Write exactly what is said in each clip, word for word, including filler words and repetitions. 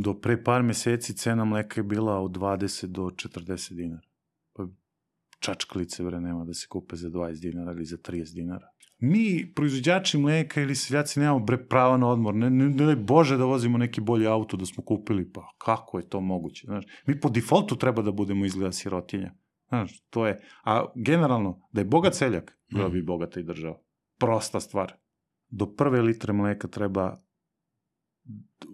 Do pre par meseci cena mleka je bila od dvadeset do četrdeset dinara. Pa čačkalice, bre, nema da se kupe za dvadeset dinara ili za trideset dinara. Mi, proizvođači mleka ili seljaci, nemamo, bre, prava na odmor. Ne, ne, ne Bože da vozimo neki bolji auto da smo kupili, pa kako je to moguće? Znaš, mi po defaultu treba da budemo izgleda sirotinja. Znaš, to je, a generalno, da je bogat seljak, bila bi bogata i država. Prosta stvar. Do prve litre mleka treba,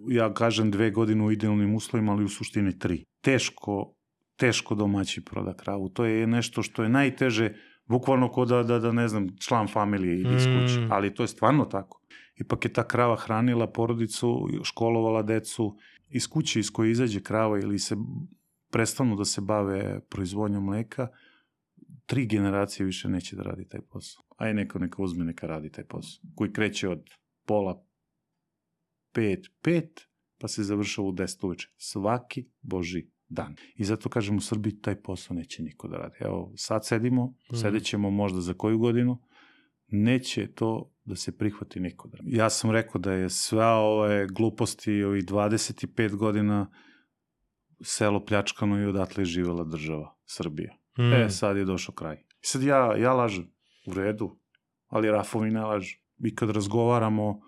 ja kažem, dve godine u idealnim uslovima, ali u suštini tri. Teško, teško domaći proda kravu. To je nešto što je najteže, bukvalno ko da, da, da ne znam, član familije ide iz kuće. Mm. Ali to je stvarno tako. Ipak je ta krava hranila porodicu, školovala decu. Iz kuće iz koje izađe krava ili se prestanu da se bave proizvodnjom mleka, tri generacije više neće da radi taj posao. Aj neko neka uzme, neka radi taj posao. Koji kreće od pola pet, pet, pa se završava u deset uveče. Svaki boži dan. I zato kažem, u Srbiji taj posao neće niko da radi. Evo, sad sedimo, mm. sedećemo možda za koju godinu, neće to da se prihvati niko da radi. Ja sam rekao da je sva ove gluposti, ovih dvadeset pet godina selo pljačkano i odatle je živela država Srbija. Mm. E, sad je došao kraj. I sad ja, ja lažem, u redu, ali Rafovi ne lažu. I kad razgovaramo,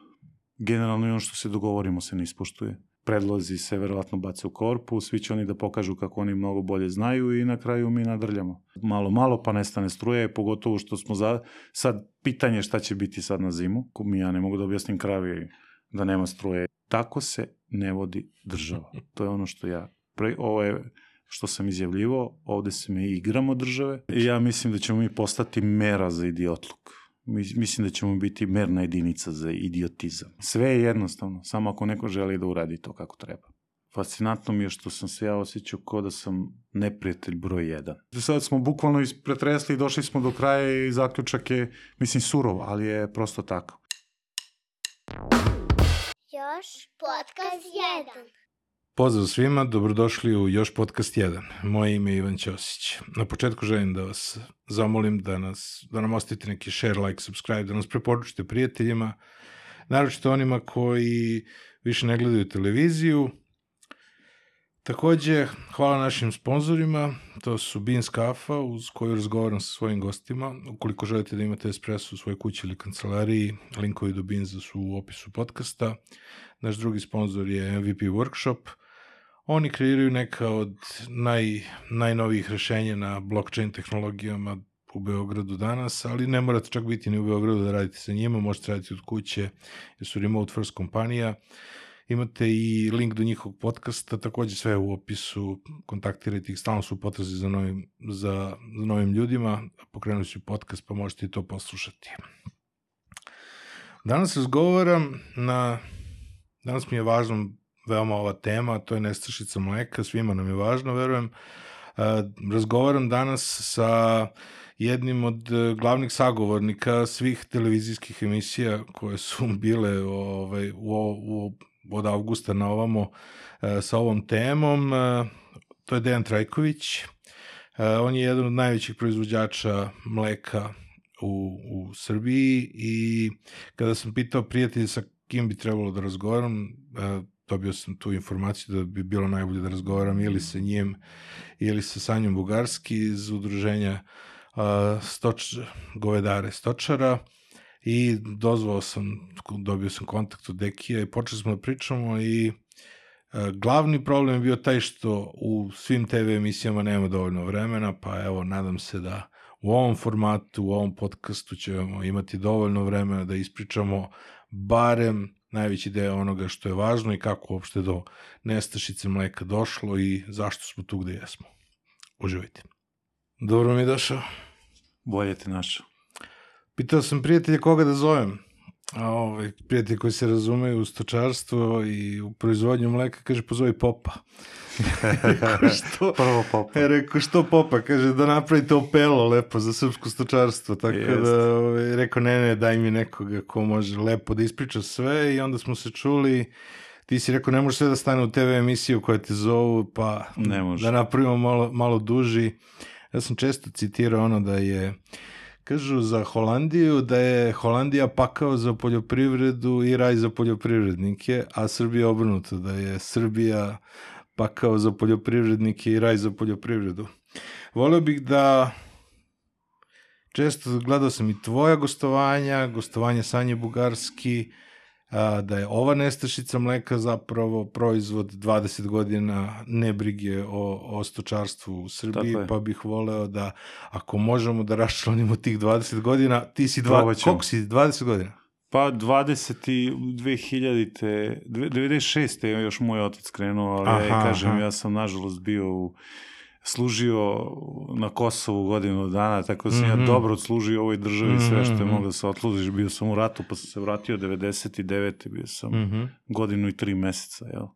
generalno i ono što se dogovorimo se ne ispoštuje. Predlozi se verovatno bace u korpu, svi će oni da pokažu kako oni mnogo bolje znaju i na kraju mi nadrljamo. Malo, malo pa nestane struje, pogotovo što smo za... Sad, pitanje šta će biti sad na zimu, ko mi ja ne mogu da objasnim kravi da nema struje. Tako se ne vodi država. To je ono što ja... Pre, ovo je što sam izjavljivo, ovde se mi igramo države i ja mislim da ćemo mi postati mera za idiotluk. Mislim da ćemo biti merna jedinica za idiotizam. Sve je jednostavno, samo ako neko želi da uradi to kako treba. Fascinantno mi je što sam se ja osjećao kao da sam neprijatelj broj jedan. Sad smo bukvalno pretresli i došli smo do kraja i zaključak je, mislim, surov, ali je prosto tako. Još podcast jedan. Pozdrav svima, dobrodošli u Još podcast jedan. Moje ime je Ivan Ćosić. Na početku želim da vas zamolim da, nas, da nam ostavite neki share, like, subscribe, da nas preporučite prijateljima, naročito onima koji više ne gledaju televiziju. Takođe, hvala našim sponzorima, to su Beans kafa uz koju razgovaram sa svojim gostima. Ukoliko želite da imate espresso u svojoj kući ili kancelariji, linkovi do Beansa su u opisu podcasta. Naš drugi sponzor je M V P Workshop. Oni kreiraju neka od naj, najnovijih rešenja na blockchain tehnologijama u Beogradu danas, ali ne morate čak biti ni u Beogradu da radite sa njima, možete raditi od kuće, jer su remote first kompanija. Imate i link do njihovog podcasta, takođe sve u opisu, kontaktirajte ih, stalno su u potrazi za novim, za, za novim ljudima, pokrenuli su podcast pa možete i to poslušati. Danas razgovaram na, danas mi je važno veoma ova tema, to je nestašica mleka, svima nam je važno, verujem. Razgovaram danas sa jednim od glavnih sagovornika svih televizijskih emisija koje su bile ovaj, u, u, od avgusta na ovamo sa ovom temom. To je Dejan Trajković. On je jedan od najvećih proizvođača mleka u, u Srbiji i kada sam pitao prijatelja sa kim bi trebalo da razgovaram, dobio sam tu informaciju da bi bilo najbolje da razgovaram ili sa njim ili sa Sanjom Bugarski iz udruženja uh, stoč, govedare stočara i dozvao sam, dobio sam kontakt od Dekija i počeli smo da pričamo i uh, glavni problem je bio taj što u svim te ve emisijama nema dovoljno vremena, pa evo, nadam se da u ovom formatu, u ovom podcastu ćemo imati dovoljno vremena da ispričamo barem najveći deo onoga što je važno i kako uopšte do nestašice mleka došlo i zašto smo tu gde jesmo. Uživajte. Dobro mi je došao. Bolje te našao. Pitao sam prijatelja koga da zovem. A ovaj, prijatelji koji se razumeju u stočarstvo i u proizvodnju mleka, kaže, pozovi Popa. što? Prvo Popa. E, rekao, što Popa? Kaže, da napravite opelo lepo za srpsko stočarstvo. Tako Jest. da, ovaj, rekao, ne, ne, daj mi nekoga ko može lepo da ispriča sve i onda smo se čuli. Ti si rekao, ne može sve da stane u te ve emisiju koja te zovu, pa da napravimo malo, malo duži. Ja sam često citirao ono da je Kažu za Holandiju da je Holandija pakao za poljoprivredu i raj za poljoprivrednike, a Srbija obrnuto, da je Srbija pakao za poljoprivrednike i raj za poljoprivredu. Voleo bih da, često gledao sam i tvoja gostovanja, gostovanje Sanje Bugarski, a, da je ova nestašica mleka zapravo proizvod dvadeset godina nebrige o, o stočarstvu u Srbiji, pa bih voleo da, ako možemo da raščlanimo tih dvadeset godina, ti si dva, koliko si, dvadeset godina? Pa dvadeset i dve hiljadite, devedeset šeste je još moj otac krenuo, ali aha, ja kažem, aha. ja sam nažalost bio u služio na Kosovu godinu dana, tako da sam mm-hmm. ja dobro odslužio ovoj državi mm-hmm. sve što je moglo da se odslužiš. Bio sam u ratu, pa sam se vratio devedeset devete bio sam mm-hmm. godinu i tri meseca jel,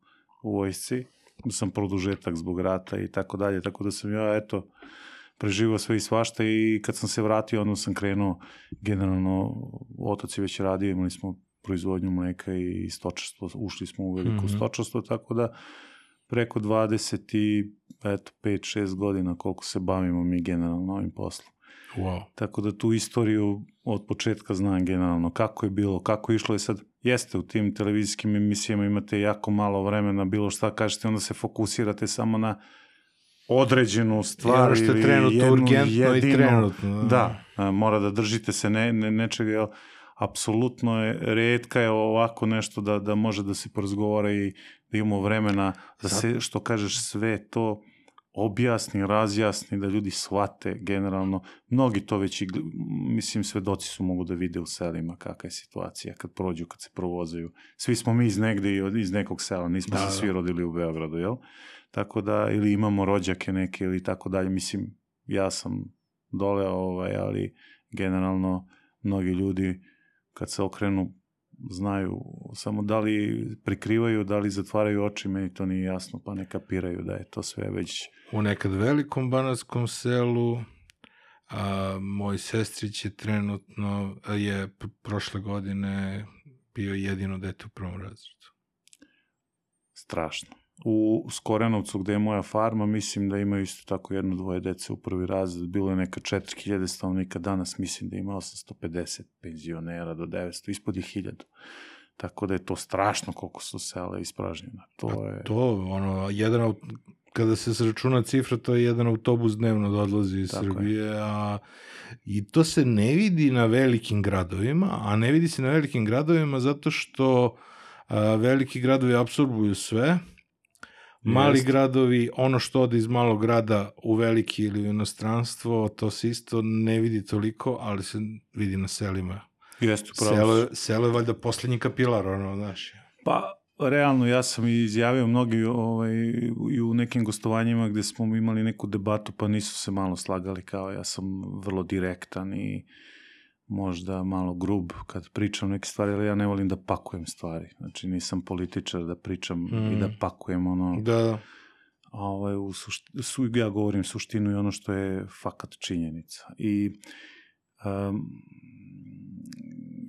u vojsci. Sam produžetak zbog rata i tako dalje, tako da sam ja, eto, preživao sve i svašta i kad sam se vratio, onda sam krenuo, generalno, otac je već radio, imali smo proizvodnju mleka i stočarstvo, ušli smo u veliko mm-hmm. stočarstvo, tako da preko dvadeset pet šest godina koliko se bavimo mi generalno ovim poslom. Wow. Tako da tu istoriju od početka znam generalno kako je bilo, kako je išlo i sad jeste u tim televizijskim emisijama imate jako malo vremena, bilo šta kažete, onda se fokusirate samo na određenu stvar ili jednu trenutno, urgentno jedinu. I trenutno. Da, a, mora da držite se ne, ne, nečega, jel, apsolutno je, retka je ovako nešto da, da može da se porazgovara i da imamo vremena da se, što kažeš, sve to objasni, razjasni, da ljudi shvate generalno. Mnogi to već, i, mislim, svedoci su mogu da vide u selima kakva je situacija kad prođu, kad se provozaju. Svi smo mi iz negde i iz nekog sela, nismo da, se svi rodili u Beogradu, jel? Tako da, ili imamo rođake neke ili tako dalje. Mislim, ja sam dole, ovaj, ali generalno mnogi ljudi kad se okrenu znaju samo da li prikrivaju, da li zatvaraju oči, meni to nije jasno, pa ne kapiraju da je to sve već... U nekad velikom banatskom selu, a, moj sestrić je trenutno, je prošle godine bio jedino dete u prvom razredu. Strašno. U Skorenovcu gde je moja farma, mislim da ima isto tako jedno, dvoje dece u prvi razred, bilo je neka četiri hiljade stanovnika, danas mislim da ima osamsto pedeset penzionera do devetsto, ispod je hiljadu. Tako da je to strašno koliko su sela ispražnjena. To je... To, ono, jedan, kada se sračuna cifra, to je jedan autobus dnevno da odlazi iz tako Srbije, je. A i to se ne vidi na velikim gradovima, a ne vidi se na velikim gradovima zato što a, veliki gradovi apsorbuju sve. Mali Jest. gradovi, ono što ode iz malog grada u veliki ili u inostranstvo, to se isto ne vidi toliko, ali se vidi na selima. Jeste, upravo. Selo, selo je valjda poslednji kapilar, ono, znaš. Pa, realno, ja sam izjavio mnogi ovaj, i u nekim gostovanjima gde smo imali neku debatu, pa nisu se malo slagali, kao ja sam vrlo direktan i možda malo grub kad pričam neke stvari, ali ja ne volim da pakujem stvari. Znači, nisam političar da pričam mm. i da pakujem ono... Da. Ovaj, u sušti, su, ja govorim suštinu i ono što je fakat činjenica. I um,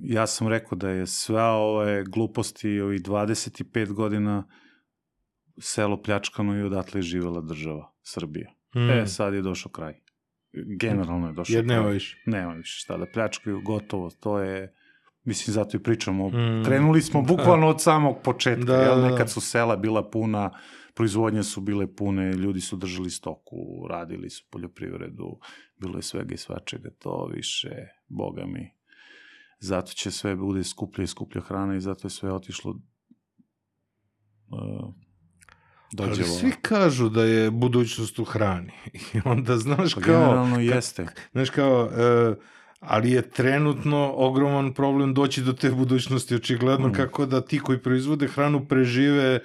ja sam rekao da je sve ove gluposti ovih dvadeset pet godina selo pljačkano i odatle je živela država Srbija. Mm. E, sad je došao kraj. Generalno je došao. Jer nema više. Nema više šta da pljačkaju, gotovo. To je, mislim, zato i pričamo. Mm. Krenuli smo bukvalno od samog početka. Da, jel? Nekad su sela bila puna, proizvodnje su bile pune, ljudi su držali stoku, radili su poljoprivredu, bilo je svega i svačega. To više, boga mi. Zato će sve bude skuplja i skuplja hrana i zato je sve otišlo uh, dođevo. Ali svi kažu da je budućnost u hrani. I onda, znaš, pa kao... Generalno jeste. Znaš, kao... Uh, ali je trenutno ogroman problem doći do te budućnosti, očigledno, mm. kako da ti koji proizvode hranu prežive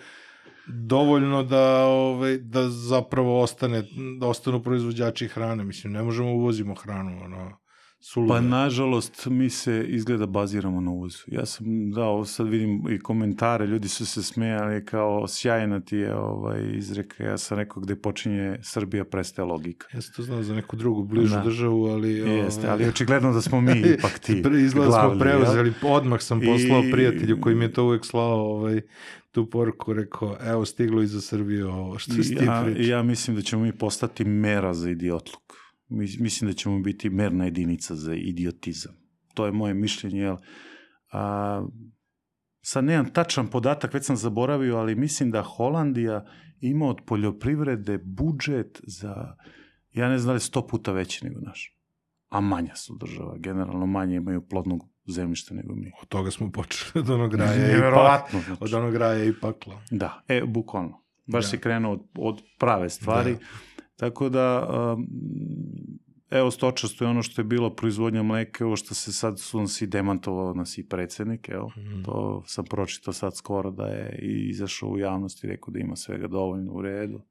dovoljno da, ovaj, da zapravo ostane, da ostanu proizvođači hrane. Mislim, ne možemo uvozimo hranu, ono... Sulude. Pa nažalost mi se izgleda baziramo na uvozu. Ja sam dao, sad vidim i komentare, ljudi su se smejali kao sjajna ti je ovaj, izreka, ja sam rekao gde počinje Srbija prestaje logika. Ja sam to znao za neku drugu bližu da. državu, ali... Jeste, ali očigledno da smo mi ipak ti izgleda smo preuzeli, odmah sam poslao I... prijatelju koji mi je to uvek slao ovaj, tu poruku, rekao, evo stiglo i za Srbiju ovo, što si ti ja, priča. Ja mislim da ćemo mi postati mera za idiotluk. mislim da ćemo biti merna jedinica za idiotizam. To je moje mišljenje, jel? A, sad nemam tačan podatak, već sam zaboravio, ali mislim da Holandija ima od poljoprivrede budžet za, ja ne znam da li sto puta veći nego naš. A manja su država, generalno manje imaju plodnog zemljišta nego mi. Od toga smo počeli, od onog raja i pakla. Znači. Od onog raja i pakla. Da, e, bukvalno. Baš da. Si krenuo od, od prave stvari. Da. Tako da, um, evo stočarstvo je ono što je bilo proizvodnja mleka, ovo što se sad su nas i demantovao nas i predsednik, evo, mm. to sam pročitao sad skoro da je i izašao u javnost i rekao da ima svega dovoljno u redu.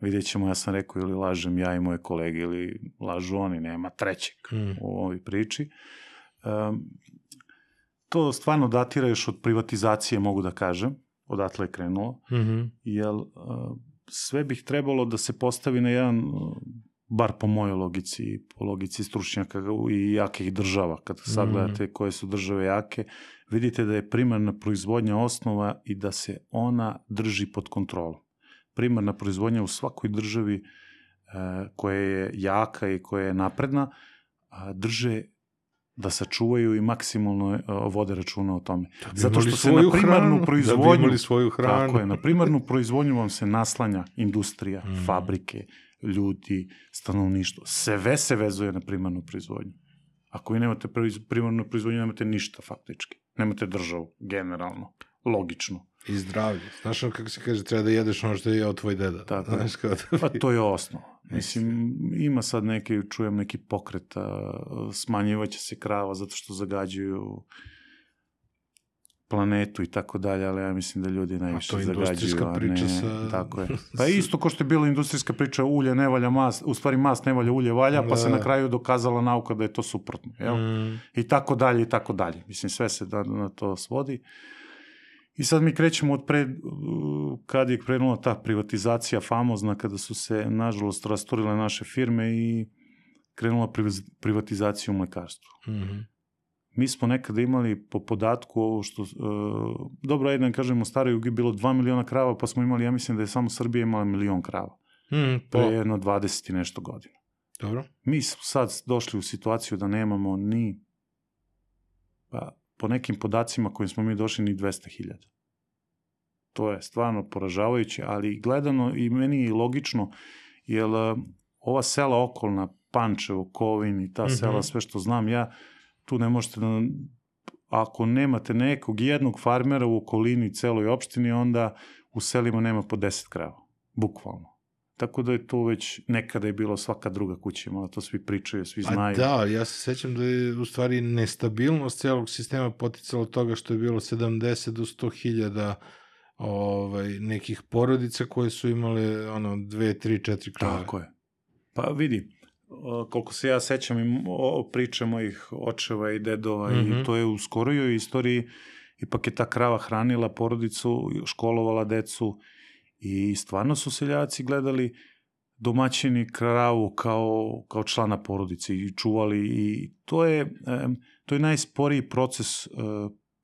Vidjet ćemo, ja sam rekao ili lažem ja i moje kolege ili lažu oni, nema trećeg mm. u ovoj priči. Um, to stvarno datira još od privatizacije, mogu da kažem, odatle je krenulo, mm-hmm. jer uh, sve bih trebalo da se postavi na jedan, uh, bar po mojoj logici, po logici stručnjaka i jakih država, kad sagledate mm-hmm. koje su države jake, vidite da je primarna proizvodnja osnova i da se ona drži pod kontrolom. Primarna proizvodnja u svakoj državi uh, koja je jaka i koja je napredna, uh, drže da sačuvaju i maksimalno uh, vode računa o tome. Zato što se na primarnu hranu, proizvodnju, da svoju hranu. Tako je, na primarnu proizvodnju vam se naslanja industrija, mm. fabrike, ljudi, stanovništvo. Sve se vezuje na primarnu proizvodnju. Ako vi nemate primarnu proizvodnju, nemate ništa faktički. Nemate državu, generalno, logično. I zdravlje. Znaš ono kako se kaže, treba da jedeš ono što je jeo tvoj deda. Tako je. Pa to je osnov. Mislim, ima sad neki, čujem neki pokret, smanjivaće se krava zato što zagađuju planetu i tako dalje, ali ja mislim da ljudi najviše zagađuju. A to je industrijska priča sa... Tako je. Pa isto ko što je bila industrijska priča, ulje ne valja mast, u stvari mast ne valja, ulje valja, pa se na kraju dokazala nauka da je to suprotno. Jel? Mm. I tako dalje, i tako dalje. Mislim, sve se da, na to svodi. I sad mi krećemo od pred, kad je krenula ta privatizacija famozna, kada su se, nažalost, rasturile naše firme i krenula privatizacija u mlekarstvu. Mm-hmm. Mi smo nekada imali po podatku ovo što, uh, dobro, ajde da kažemo, u staroj Jugi bilo dva miliona krava, pa smo imali, ja mislim da je samo Srbija imala milion krava. Mm, pre jedno dvadeset i nešto godina. Dobro. Mi smo sad došli u situaciju da nemamo ni, pa, po nekim podacima kojim smo mi došli, ni dvesta hiljada. To je stvarno poražavajuće, ali gledano i meni je logično, jer uh, ova sela okolna, Pančevo, Kovin i ta mm-hmm. sela, sve što znam ja, tu ne možete da, ako nemate nekog jednog farmera u okolini celoj opštini, onda u selima nema po deset krava, bukvalno. Tako da je to već, nekada je bilo svaka druga kuća imala, to svi pričaju, svi znaju. A da, ja se sećam da je u stvari nestabilnost celog sistema poticala od toga što je bilo sedamdeset do sto hiljada ovaj, nekih porodica koje su imale ono, dve, tri, četiri krave. Tako je. Pa vidi, koliko se ja sećam i priče mojih očeva i dedova mm-hmm. i to je u skorijoj istoriji, ipak je ta krava hranila porodicu, školovala decu i stvarno su seljaci gledali domaćini kravu kao, kao člana porodice i čuvali i to je, to je najsporiji proces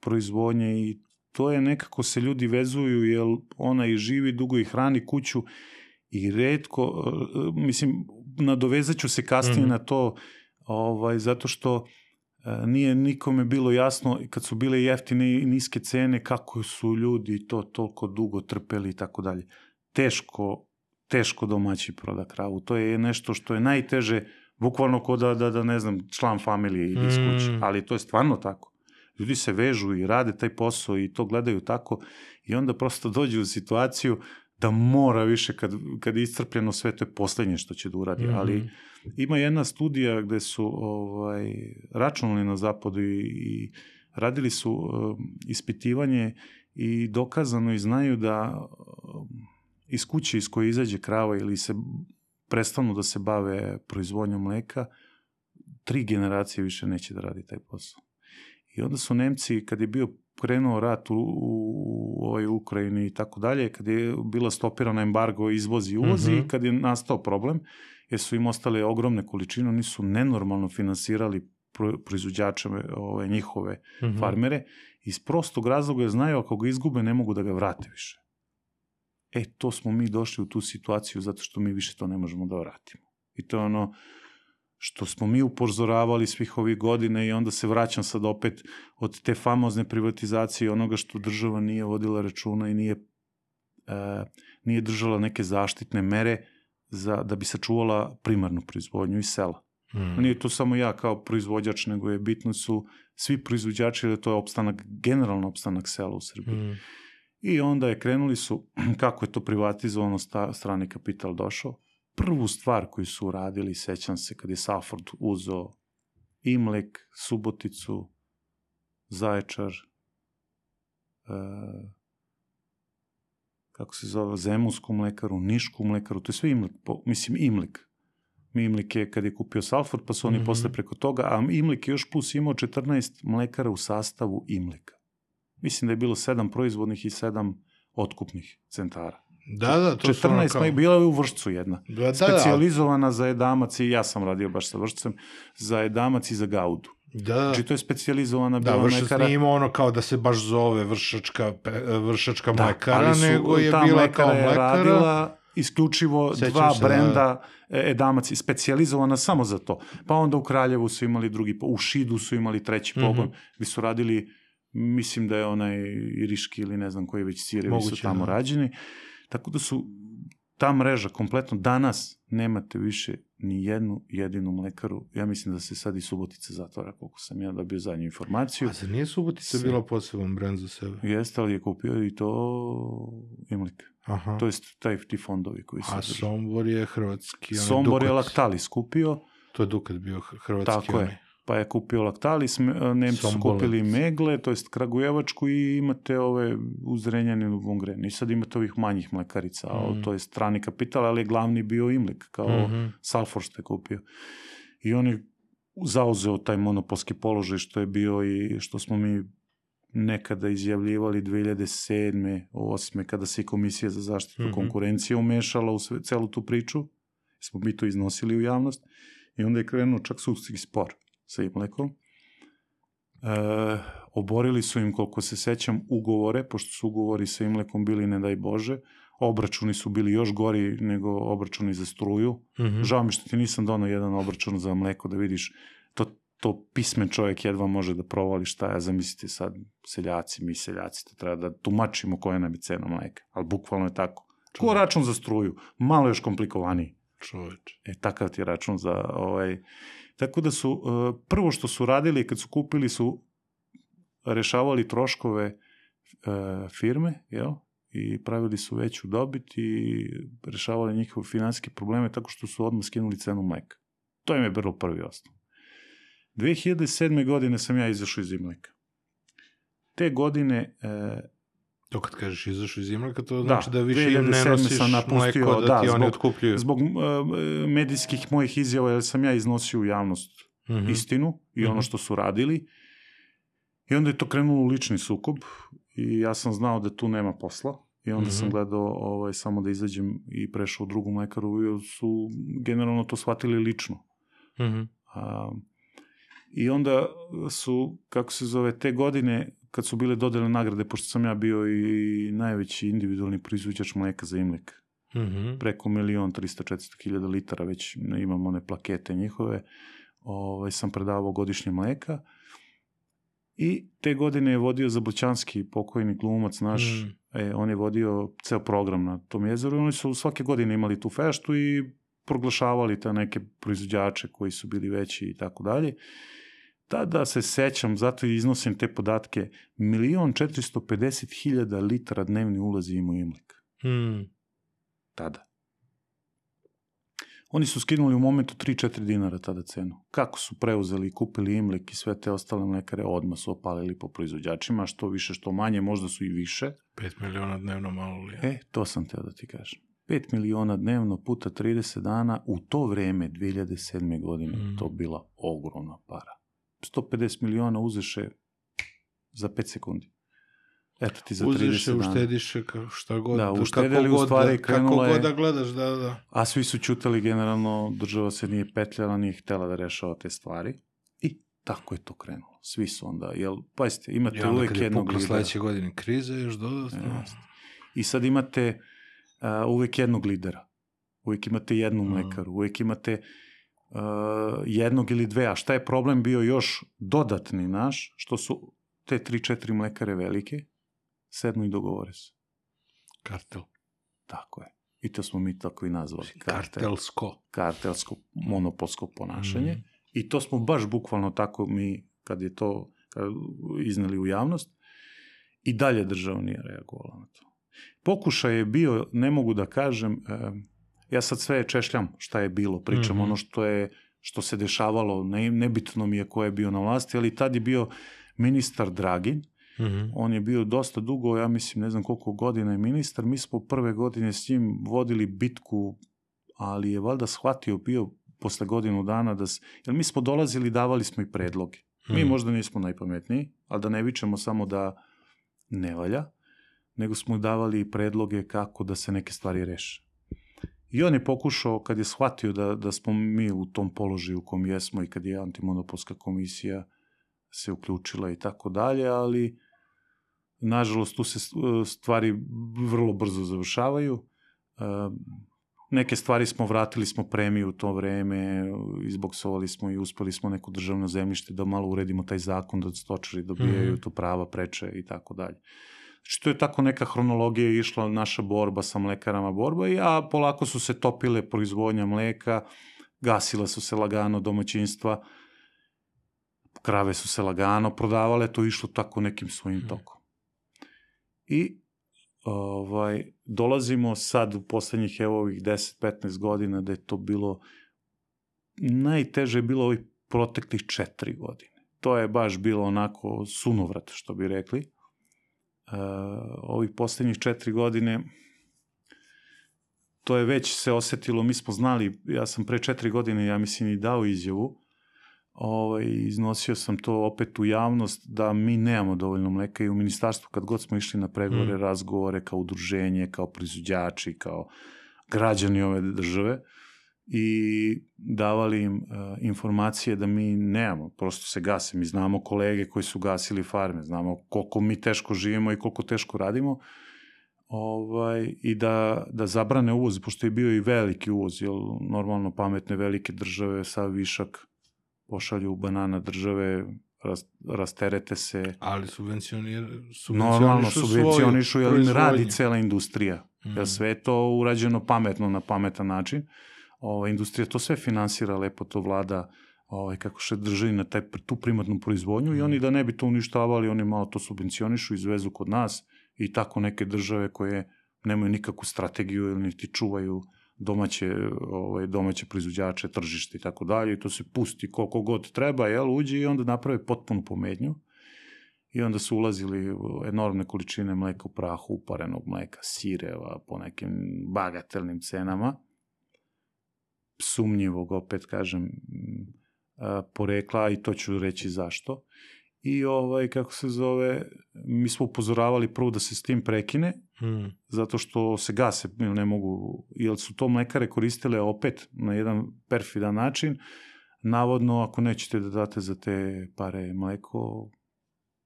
proizvodnje i to je nekako se ljudi vezuju jer ona i živi, dugo i hrani kuću i retko, mislim, nadovezat ću se kasnije mm-hmm. na to, ovaj, zato što e, nije nikome bilo jasno, kad su bile jeftine i niske cene, kako su ljudi to toliko dugo trpeli i tako dalje. Teško, teško domaći proda kravu. To je nešto što je najteže, bukvalno ko da, da, da ne znam, član familije ide iz kuće, mm. ali to je stvarno tako. Ljudi se vežu i rade taj posao i to gledaju tako i onda prosto dođu u situaciju da mora više, kad, kad je iscrpljeno sve, to je poslednje što će da uradi. Mm-hmm. Ali ima jedna studija gde su ovaj, računali na zapadu i, i radili su um, ispitivanje i dokazano i znaju da um, iz kuće iz koje izađe krava ili se prestanu da se bave proizvodnjom mleka, tri generacije više neće da radi taj posao. I onda su Nemci, kad je bio krenuo rat u, u, u ovoj Ukrajini i tako dalje, kad je bila stopirana embargo izvozi i uvozi, mm-hmm. kad je nastao problem, jer su im ostale ogromne količine, oni su nenormalno finansirali pro, proizvođače ove, njihove mm-hmm. farmere, iz prostog razloga znaju ako ga izgube ne mogu da ga vrate više. E, to smo mi došli u tu situaciju zato što mi više to ne možemo da vratimo. I to je ono, što smo mi upozoravali svih ovih godina i onda se vraćam sad opet od te famozne privatizacije onoga što država nije vodila računa i nije, uh, nije držala neke zaštitne mere za, da bi sačuvala primarnu proizvodnju iz sela. Mm. Nije to samo ja kao proizvođač, nego je bitno su svi proizvođači, jer to je opstanak, generalno opstanak sela u Srbiji. Mm. I onda je krenuli su, kako je to privatizovano, sta, strani kapital došao. Prvu stvar koju su uradili, sećam se, kad je Salford uzeo Imlek, Suboticu, Zaječar, uh, kako se zove, Zemunsku mlekaru, Nišku mlekaru, to je sve Imlek, po, mislim Imlek. Imlik je kad je kupio Salford, pa su oni mm-hmm. posle preko toga, a Imlik je još plus imao četrnaest mlekara u sastavu Imlika. Mislim da je bilo sedam proizvodnih i sedam otkupnih centara. Da, da, to četrnaest, su ono kao... bila je u Vršcu jedna. Da, da, specijalizovana za edamac i ja sam radio baš sa Vršcem, za edamac i za gaudu. Da. Znači to je specijalizovana bila da, mlekara. Da, Vršac nije imao ono kao da se baš zove vršačka, vršačka da, mlekara, su, nego je bila kao mlekara. Je radila isključivo Sećam dva se, brenda da... edamac i specijalizovana samo za to. Pa onda u Kraljevu su imali drugi, u Šidu su imali treći pogon, mm-hmm. gdje su radili, mislim da je onaj Iriški ili ne znam koji već sirevi su tamo da. rađeni. Tako da su ta mreža kompletno, danas nemate više ni jednu jedinu mlekaru. Ja mislim da se sad i Subotica zatvara, koliko sam ja dobio zadnju informaciju. A za nije Subotica se... bila poseban brend za sebe? Jeste, ali je kupio i to Imlik. Aha. To je taj, ti fondovi koji su... A drži. Sombor je hrvatski. Sombor je Lactalis kupio. To je Dukat bio hrvatski. Tako je. Pa je kupio Lactalis, Nemci su kupili Megle, to jest Kragujevačku i imate ove u Zrenjaninu, Vongren. I sad imate ovih manjih mlekarica, mm. to je strani kapital, ali je glavni bio Imlik, kao mm-hmm. Salford ste kupio. I on je zauzeo taj monopolski položaj što je bio i što smo mi nekada izjavljivali dve hiljade sedme, osme, kada se i Komisija za zaštitu mm-hmm. konkurencije umešala u sve, celu tu priču. Smo mi to iznosili u javnost i onda je krenuo čak sudski spor sa Imlekom. E, oborili su im, koliko se sećam, ugovore, pošto su ugovori sa Imlekom bili, ne daj Bože, obračuni su bili još gori nego obračuni za struju. Mm-hmm. Žao mi što ti nisam donao jedan obračun za mleko, da vidiš, to, to pismen čovjek jedva može da provali šta je, zamislite sad, seljaci, mi seljaci, to treba da tumačimo koja nam je cena mleka, ali bukvalno je tako. Ko račun za struju? Malo još komplikovaniji. Čoveč. E, takav ti je račun za ovaj... Tako da su, prvo što su radili kad su kupili su rešavali troškove firme, jel? I pravili su veću dobit i rešavali njihove finansijske probleme tako što su odmah skinuli cenu mleka. To im je bilo prvi osnov. dve hiljade sedme godine sam ja izašao iz Imleka. Te godine... To kad kažeš izašao iz Imleka, to znači da, da više im ne nosiš mleko da, da ti oni otkupljuju. Zbog uh, medijskih mojih izjava, jer sam ja iznosio u javnost mm-hmm. istinu i mm-hmm. ono što su radili. I onda je to krenulo u lični sukob i ja sam znao da tu nema posla. I onda mm-hmm. sam gledao ovaj, samo da izađem i prešao u drugu mlekaru, jer su generalno to shvatili lično. Mm-hmm. A, I onda su, kako se zove, te godine... kad su bile dodeljene nagrade, pošto sam ja bio i najveći individualni proizvođač mleka za Imlek. Mm-hmm. Preko milion trista četiristo hiljada litara, već imamo one plakete njihove, ovaj, sam predavao godišnje mleka. I te godine je vodio Zablućanski pokojni glumac naš, mm. e, on je vodio ceo program na tom jezeru i oni su svake godine imali tu feštu i proglašavali te neke proizvođače koji su bili veći i tako dalje. Tada se sećam, zato iznosim te podatke, milion četiristo pedeset hiljada litara dnevni ulazi imao Imlek. Hmm. Tada. Oni su skinuli u momentu tri do četiri dinara tada cenu. Kako su preuzeli i kupili Imlek i sve te ostale mlekare, odmah su opalili po proizvođačima, što više, što manje, možda su i više. Pet miliona dnevno malo li je? E, to sam teo da ti kažem. Pet miliona dnevno puta trideset dana, u to vreme, dve hiljade sedme godine, hmm. to bila ogromna para. sto pedeset miliona uzeše za pet sekundi. Eto ti za trideset uzeše, dana. Uštediše, šta god. Da, uštedeli u stvari, krenula je... Kako god da gledaš, da, da. A svi su čutali, generalno, država se nije petljala, nije htjela da rešava te stvari. I tako je to krenulo. Svi su onda, jel, pazite, imate ja, uvek jednog lidera. Sledeće godine krize još dodatno. Ja. I sad imate uh, uvek jednog lidera. Uvek imate jednu mlekaru. Mm. Uvek imate... uh, jednog ili dve. A šta je problem bio još dodatni naš, što su te tri, četiri mlekare velike, sednu i dogovore se. Kartel. Tako je. I to smo mi tako i nazvali. Kartel. Kartelsko. Kartelsko, monopolsko ponašanje. Mm. I to smo baš bukvalno tako mi, kad je to kad izneli u javnost, i dalje država nije reagovala na to. Pokušaj je bio, ne mogu da kažem, eh, ja sad sve češljam šta je bilo, pričam mm-hmm. ono što je, što se dešavalo, ne, nebitno mi je ko je bio na vlasti, ali tad je bio ministar Dragin, mm-hmm. on je bio dosta dugo, ja mislim, ne znam koliko godina je ministar, mi smo prve godine s njim vodili bitku, ali je valjda shvatio bio posle godinu dana, da, jer mi smo dolazili, davali smo i predloge. Mi mm. možda nismo najpametniji, ali da ne vičemo samo da ne valja, nego smo davali i predloge kako da se neke stvari reše. I on je pokušao, kad je shvatio da, da smo mi u tom položaju u kom jesmo i kad je antimonopolska komisija se uključila i tako dalje, ali nažalost tu se stvari vrlo brzo završavaju. Neke stvari smo, vratili smo premiju u to vreme, izboksovali smo i uspeli smo neko državno zemljište da malo uredimo taj zakon, da stočari dobijaju mm-hmm. tu prava, preče i tako dalje. Znači, to je tako neka hronologija išla, naša borba sa mlekarama borba, a polako su se topile proizvodnja mleka, gasila su se lagano domaćinstva, krave su se lagano prodavale, to je išlo tako nekim svojim mm-hmm. tokom. I Ovaj, dolazimo sad u poslednjih evo ovih deset do petnaest godina da je to bilo, najteže je bilo ovih proteklih četiri godine. To je baš bilo onako sunovrat, što bi rekli. Uh, ovih poslednjih četiri godine to je već se osetilo, mi smo znali, ja sam pre četiri godine, ja mislim, i dao izjavu, ovaj, iznosio sam to opet u javnost, da mi nemamo dovoljno mleka i u ministarstvu, kad god smo išli na pregovore, mm. razgovore, kao udruženje, kao proizvođači, kao građani ove države, i davali im uh, informacije da mi nemamo, prosto se gase. Mi znamo kolege koji su gasili farme, znamo koliko mi teško živimo i koliko teško radimo, ovaj, i da, da zabrane uvoz, pošto je bio i veliki uvoz, jer normalno pametne velike države sa višak pošalju u banana države, ras, rasterete se. Ali subvencionir, subvencionišu normalno subvencionišu, jer im radi proizvodnju. cela industrija. Mm. Jer sve je to urađeno pametno, na pametan način. Ova industrija to sve finansira, lepo to vlada, ovaj, kako se drži na taj, tu primarnu proizvodnju, mm. i oni da ne bi to uništavali, oni malo to subvencionišu, izvezu kod nas, i tako neke države koje nemaju nikakvu strategiju ili niti čuvaju domaće, ovaj, domaće proizvođače, tržište i tako dalje, i to se pusti koliko god treba, jel, uđe i onda naprave potpunu pometnju. I onda su ulazili enormne količine mleka u prahu, uparenog mleka, sireva, po nekim bagatelnim cenama, sumnjivog, opet kažem, porekla, i to ću reći zašto. I ovaj, kako se zove, mi smo upozoravali prvo da se s tim prekine, hmm. zato što se gase, ne mogu, jer su to mlekare koristile opet na jedan perfidan način. Navodno, ako nećete da date za te pare mleko,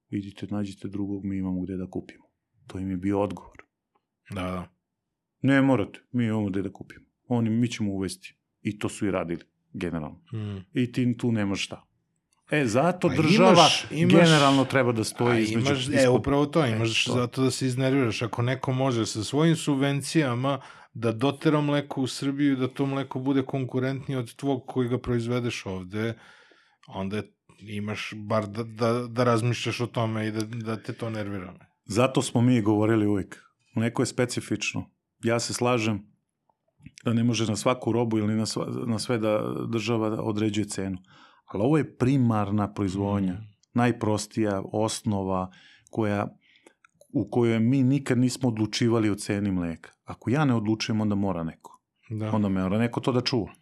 idite, nađite drugog, mi imamo gde da kupimo. To im je bio odgovor. Da, da. Ne morate, mi imamo gde da kupimo. Oni, mi ćemo uvesti. I to su i radili, generalno. Hmm. I ti tu nemaš šta. E, zato pa država imaš, imaš, generalno treba da stoji između... Imaš, ispod... E, upravo to, imaš e, to. Zato da se iznerviraš. Ako neko može sa svojim subvencijama da dotera mleko u Srbiju, da to mleko bude konkurentnije od tvog koji ga proizvedeš ovde, onda imaš bar da, da, da razmišljaš o tome i da, da te to nervira. Zato smo mi govorili uvijek. Mleko je specifično. Ja se slažem da ne može na svaku robu ili na, sva, na sve da država određuje cenu. Ali ovo je primarna proizvodnja, mm. najprostija osnova koja, u kojoj mi nikad nismo odlučivali o ceni mleka. Ako ja ne odlučujem, onda mora neko. Da. Onda mora neko to da čuva.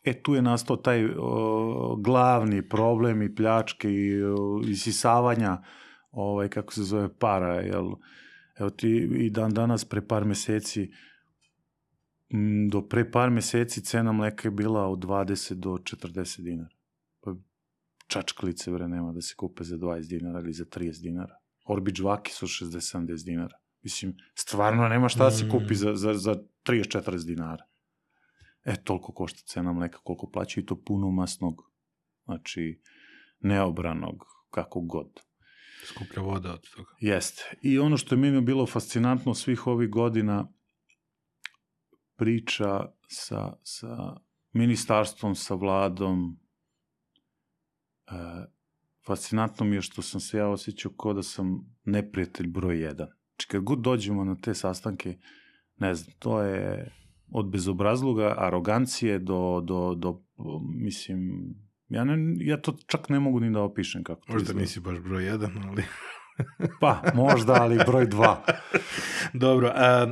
E, tu je nastao taj o, glavni problem i pljačke i o, isisavanja, ovaj, kako se zove, para. Jel? Evo ti i dan danas, pre par meseci, do pre par meseci cena mleka je bila od dvadeset do četrdeset dinara. Pa čačkalice, bre, nema da se kupe za dvadeset dinara ili za trideset dinara. Orbi džvaki su šezdeset sedamdeset dinara. Mislim, stvarno nema šta da se kupi za, za, za trideset četrdeset dinara. E, toliko košta cena mleka, koliko plaća i to puno masnog, znači neobranog, kako god. Skuplja voda od toga. Jeste. I ono što je meni bilo fascinantno svih ovih godina, priča sa, sa ministarstvom, sa vladom, e, fascinantno mi je što sam se ja osjećao kao da sam neprijatelj broj jedan. Znači, kad god dođemo na te sastanke, ne znam, to je od bezobrazluga, arogancije do, do, do mislim, ja, ne, ja to čak ne mogu ni da opišem kako to Možda izgleda. nisi baš broj jedan, ali... Pa, možda, ali broj dva. Dobro. A,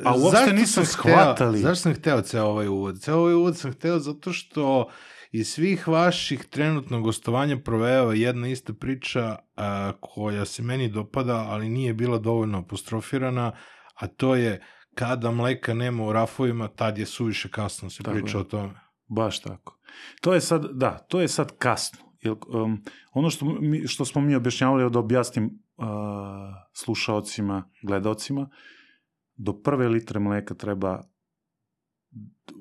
a uopšte nisu shvatali. Hteo, zašto sam hteo ceo ovaj uvod? Ceo ovaj uvod sam hteo zato što iz svih vaših trenutno gostovanja provejava jedna ista priča a, koja se meni dopada, ali nije bila dovoljno apostrofirana, a to je kada mleka nema u rafovima, tad je suviše kasno se tako priča je. o tome. Baš tako. To je sad, da, to je sad kasno. Jer, um, ono što, mi, što smo mi objašnjavali, da objasnim uh, slušaocima, gledaocima, do prve litre mleka treba,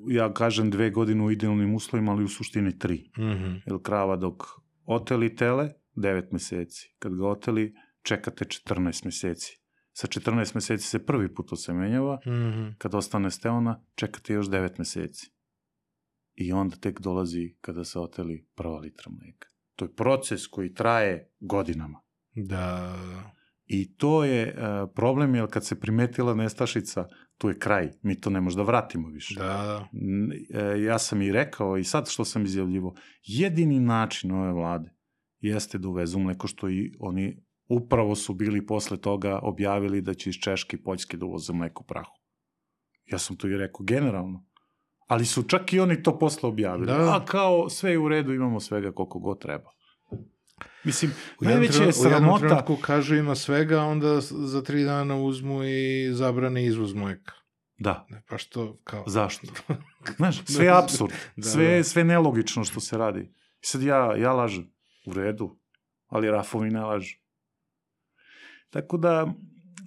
ja kažem dve godine u idealnim uslovima, ali u suštini tri. Mm-hmm. Jer krava dok oteli tele, devet meseci. Kad ga oteli, čekate četrnaest meseci. Sa četrnaest meseci se prvi put osemenjava, Mm-hmm. kad ostane steona, čekate još devet meseci. I onda tek dolazi kada se oteli prva litra mleka. To je proces koji traje godinama. Da. I to je uh, problem, jer kad se primetila nestašica, tu je kraj. Mi to ne možda vratimo više. Da. N, e, ja sam i rekao, i sad što sam izjavljivo, jedini način ove vlade jeste da uvezu mleko, što i oni upravo su bili posle toga objavili da će iz Češke i Poljske da uvoze mleko u prahu. Ja sam to i rekao generalno. Ali su čak i oni to posle objavili. Da. A kao sve je u redu, imamo svega koliko god treba. Mislim, U najveća je sramota... U jednom trenutku kažu ima svega, onda za tri dana uzmu i zabrane izvoz mleka. Da. Pa što, kao... Zašto? Znaš, sve je apsurd. da, sve, da. sve nelogično što se radi. I sad ja, ja lažem. U redu. Ali rafovi ne lažu. Tako da,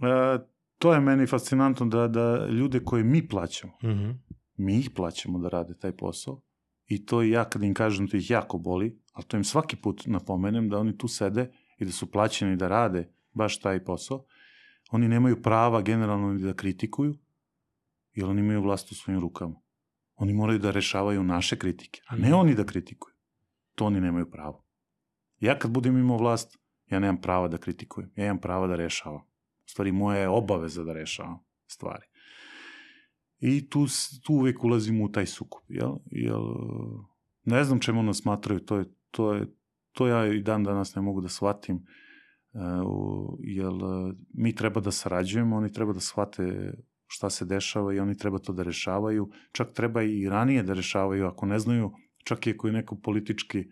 e, to je meni fascinantno da, da ljude koje mi plaćamo, Mm-hmm. mi ih plaćamo da rade taj posao i to i ja kad im kažem, to ih jako boli, ali to im svaki put napomenem da oni tu sede i da su plaćeni da rade baš taj posao. Oni nemaju prava generalno ni da kritikuju, jer oni imaju vlast u svojim rukama. Oni moraju da rešavaju naše kritike, a ne oni da kritikuju. To oni nemaju pravo. Ja kad budem imao vlast, ja nemam prava da kritikujem, ja imam prava da rešavam. U stvari, moja je obaveza da rešavam stvari. I tu, tu uvek ulazimo u taj sukob, jel? Jel, ne znam čemu nas smatraju, to je, to je, to ja i dan danas ne mogu da shvatim, uh, jer mi treba da sarađujemo, oni treba da shvate šta se dešava i oni treba to da rešavaju, čak treba i ranije da rešavaju, ako ne znaju, čak i ako je neko politički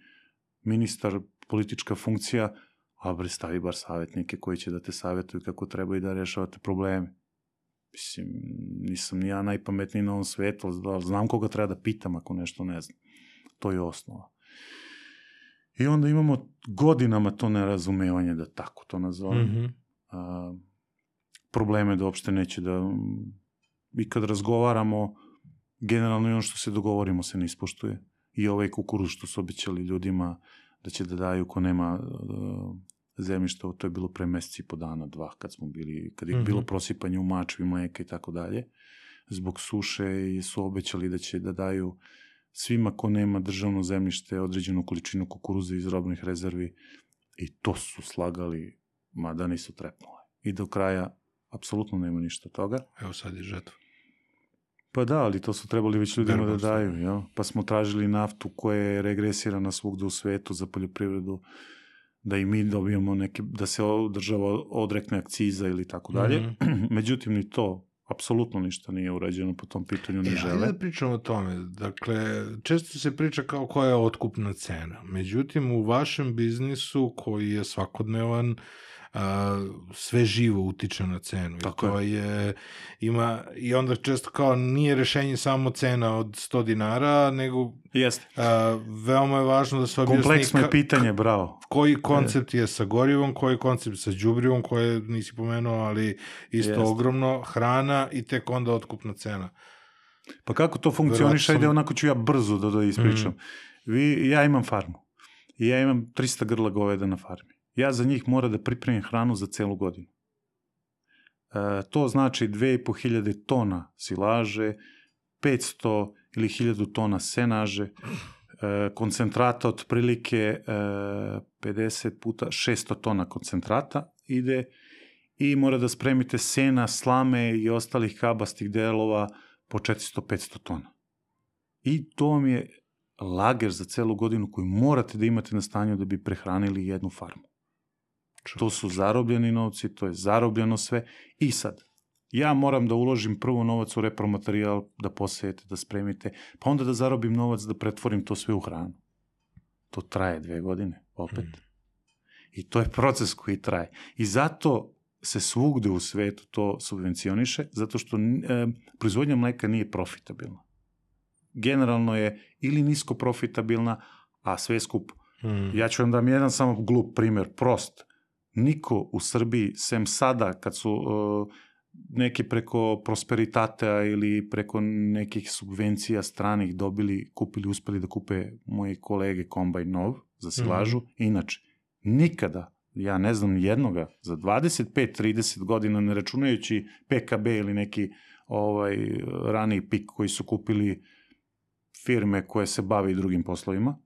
ministar, politička funkcija, a bre, stavi bar savjetnike koji će da te savjetuju kako treba i da rešavate probleme. Mislim, nisam ni ja najpametniji na ovom svetu, ali znam koga treba da pitam ako nešto ne znam. To je osnova. I onda imamo godinama to nerazumevanje, da tako to nazovem. Mm-hmm. A, probleme da uopšte neće da... I kad razgovaramo, generalno i ono što se dogovorimo se ne ispoštuje. I ovaj kukuruz što su obećali ljudima da će da daju ko nema uh, zemljišta, to je bilo pre meseci i po dana, dva, kad smo bili, kad je mm-hmm. bilo prosipanje u mačvi, mleka i tako dalje. Zbog suše i su obećali da će da daju svima ko nema državno zemljište određenu količinu kukuruza iz robnih rezervi i to su slagali, mada nisu trepnule. I do kraja apsolutno nema ništa toga. Evo sad je žetva. Pa da, ali to su trebali već ljudima da daju. Ja? Pa smo tražili naftu koja je regresirana svugde u svetu za poljoprivredu, da i mi dobijemo neke, da se država odrekne akciza ili tako dalje. Mm-hmm. Međutim, ni to apsolutno ništa nije urađeno po tom pitanju, ne e, žele. Ajde da pričamo o tome. Dakle, često se priča kao koja je otkupna cena. Međutim, u vašem biznisu koji je svakodnevan, a, sve živo utiče na cenu. Tako I to je. je, ima, i onda često kao nije rešenje samo cena od sto dinara, nego Jeste. A, veoma je važno da se objasni... Kompleksno je pitanje, bravo. Koji koncept je sa gorivom, koji koncept sa đubrivom, koje nisi pomenuo, ali isto Jeste. Ogromno, hrana i tek onda otkupna cena. Pa kako to funkcioniše, Verovatno ajde sam- onako ću ja brzo da, da ispričam. Vi, ja imam farmu i ja imam trista grla goveda na farmi. Ja za njih moram da pripremim hranu za celu godinu. E, to znači dve i po hiljade tona silaže, petsto ili hiljadu tona senaže, e, koncentrata otprilike e, pedeset puta šesto tona koncentrata ide i mora da spremite sena, slame i ostalih kabastih delova po četiristo do petsto tona. I to vam je lager za celu godinu koju morate da imate na stanju da bi prehranili jednu farmu. To su zarobljeni novci, to je zarobljeno sve. I sad, ja moram da uložim prvo novac u repromaterijal, da posejete, da spremite, pa onda da zarobim novac da pretvorim to sve u hranu. To traje dve godine, opet. I to je proces koji traje. I zato se svugde u svetu to subvencioniše, zato što e, proizvodnja mleka nije profitabilna. Generalno je ili nisko profitabilna, a sve skup. Hmm. Ja ću vam dam jedan samo glup primer, prost. Niko u Srbiji, sem sada, kad su uh, neki preko Prosperitatea ili preko nekih subvencija stranih dobili, kupili, uspeli da kupe moji kolege kombajn nov za silažu. Mm-hmm. Inače, nikada, ja ne znam jednoga, za dvadeset pet trideset godina, ne računajući P K B ili neki ovaj, raniji pik koji su kupili firme koje se bave i drugim poslovima,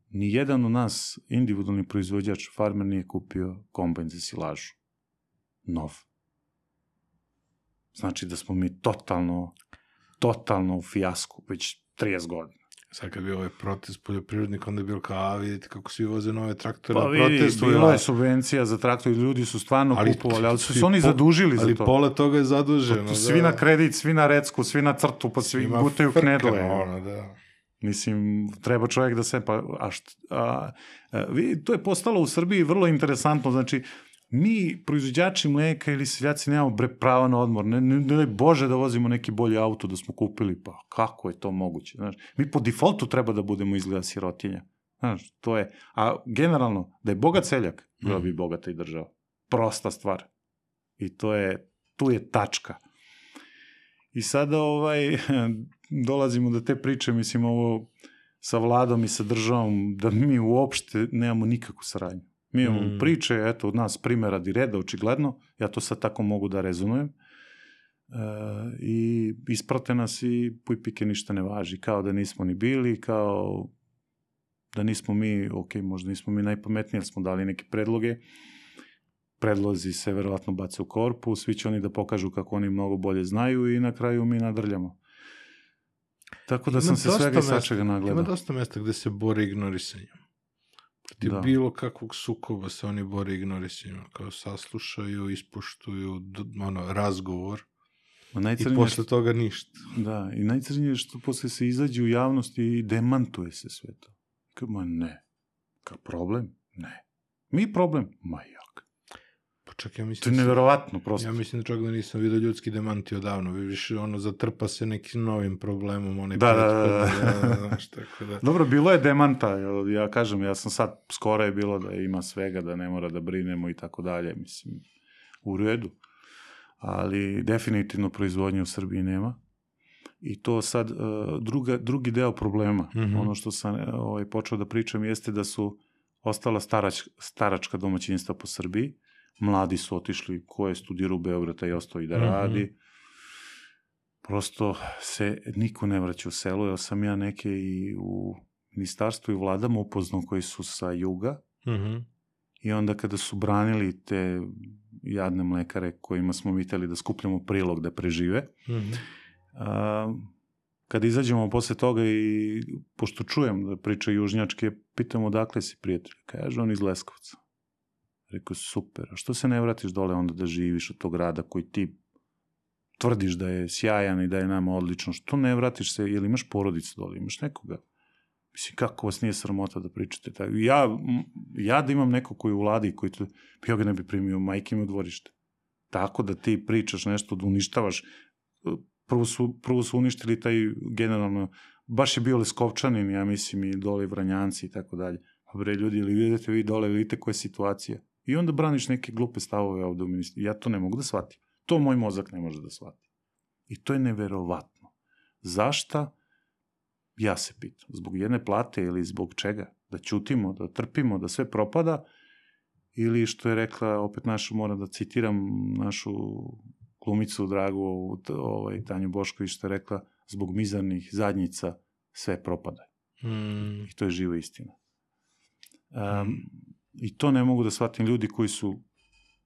ni jedan od nas, individualni proizvođač, farmer, nije kupio kombajn za silažu. Nov. Znači da smo mi totalno, totalno u fijasku, već trideset godina. Sad kad bi ovaj protest poljoprivrednika, onda je bilo kao, a vidite kako svi voze nove traktore Pa na vidi, protestu. bilo je subvencija za traktor i ljudi su stvarno ali, kupovali, ali su se po, oni zadužili ali za to. Ali pola toga je zaduženo. Pa, svi da. na kredit, svi na recku, svi na crtu, pa svi Ima gutaju knedle. Ono, da. Mislim, treba čovjek da se... Pa, a št, a, a, vi, to je postalo u Srbiji vrlo interesantno. Znači, mi, proizvođači mleka ili seljaci, nemamo bre prava na odmor. Ne, ne, ne Bože da vozimo neki bolji auto da smo kupili. Pa kako je to moguće? Znaš, mi po defaultu treba da budemo izgleda sirotinja. Znaš, to je... A generalno, da je bogat seljak, bila bi bogata i država. Prosta stvar. I to je... Tu je tačka. I sada ovaj, dolazimo do te priče, mislim, ovo sa vladom i sa državom, da mi uopšte nemamo nikakvu saradnju. Mi imamo mm. priče, eto, od nas primjera di reda, očigledno, ja to sad tako mogu da rezonujem, e, i isprate nas i puj pike ništa ne važi, kao da nismo ni bili, kao da nismo mi, ok, možda nismo mi najpametniji, jer smo dali neke predloge, predlozi se verovatno bace u korpu, svi će oni da pokažu kako oni mnogo bolje znaju i na kraju mi nadrljamo. Tako da ima sam se svega i svačega nagledao. Ima dosta mesta gde se bore ignorisanjem. Protiv da. Bilo kakvog sukoba se oni bore ignorisanjem. Kao saslušaju, ispoštuju ono, razgovor i posle što, toga ništa. Da, i najcrnije je što posle se izađe u javnost i demantuje se sve to. Kao, ma ne. Kao problem? Ne. Mi problem? Ma jak. Pa čak, ja mislim... To je neverovatno, prosto. Ja mislim da čak da nisam vidio ljudski demanti odavno. Više ono, zatrpa se nekim novim problemom. Onaj da, da, da. Ja, znaš, tako da. Dobro, bilo je demanta. Ja kažem, ja sam sad, skoro je bilo da ima svega, da ne mora da brinemo i tako dalje. Mislim, u redu. Ali definitivno proizvodnje u Srbiji nema. I to sad, druga, drugi deo problema, mm-hmm. ono što sam ovaj, počeo da pričam, jeste da su ostala starač, staračka domaćinstva po Srbiji. Mladi su otišli, ko je studirao u Beogradu i ostao i da radi. Mm-hmm. Prosto se niko ne vraća u selo. Ja sam ja neke i u ministarstvu i vladama upoznao koji su sa juga. Mm-hmm. I onda kada su branili te jadne mlekare kojima smo viteli da skupljamo prilog da prežive, mm-hmm. a, kada izađemo posle toga i pošto čujem da priča južnjačke, pitamo odakle si prijatelj. Kaže on iz Leskovca. Rekao, super, a što se ne vratiš dole onda da živiš od tog grada koji ti tvrdiš da je sjajan i da je nama odlično, što ne vratiš se, jel imaš porodicu dole, imaš nekoga? Mislim, kako vas nije sramota da pričate tako? Ja, ja da imam neko koji u vladi, koji to, ja ga ne bi primio, majke mi u dvorište. Tako da ti pričaš nešto, da uništavaš. Prvo su, prvo su uništili taj generalno, baš je bio Leskovčanin, ja mislim, i dole Vranjanci i tako dalje. Pa bre, ljudi, ili vidite vi dole, vidite koja je situacija. I onda braniš neke glupe stavove ovde u ministru. Ja to ne mogu da shvatim. To moj mozak ne može da shvati. I to je neverovatno. Zašta? Ja se pitam. Zbog jedne plate ili zbog čega? Da ćutimo, da trpimo, da sve propada? Ili što je rekla, opet našu, moram da citiram našu glumicu dragu, ovaj, Tanju Bošković, što je rekla, zbog mizarnih zadnjica sve propada. Mm. I to je živa istina. Um, mm. I to ne mogu da shvatim ljudi koji su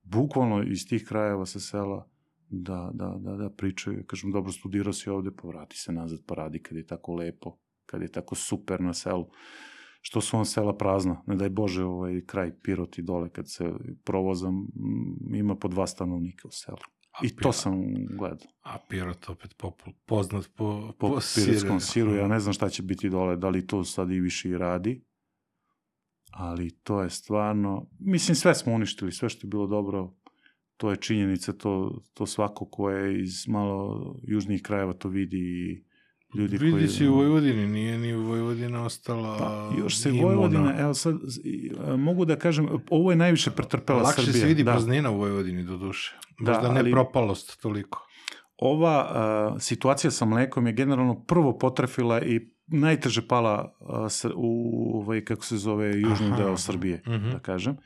bukvalno iz tih krajeva sa sela da, da, da, da pričaju. Kažem, dobro, studirao si ovde, pa vrati se nazad, pa radi kad je tako lepo, kad je tako super na selu. Što su on sela prazna. Ne daj Bože, ovaj kraj Piroti dole, kad se provozam, ima po dva stanovnika u selu. A I Pirot, to sam gledao. A Pirot opet popul, poznat po, po, po pirotskom siru. Ja ne znam šta će biti dole, da li to sad i više i radi. Ali to je stvarno... Mislim, sve smo uništili, sve što je bilo dobro, to je činjenica, to, to svako ko je iz malo južnijih krajeva to vidi i ljudi vidi koji... Vidi si u Vojvodini, nije ni Vojvodina ostala... Pa, još se Vojvodina, evo sad, mogu da kažem, ovo je najviše pretrpela Lakše Srbija. Lakše se vidi da. praznina u Vojvodini, do duše. Možda da, ne ali... propalost toliko. Ova uh, situacija sa mlekom je generalno prvo potrefila i najteže pala uh, u, ovaj, kako se zove, južni Aha, deo Srbije, uh-huh. da kažem.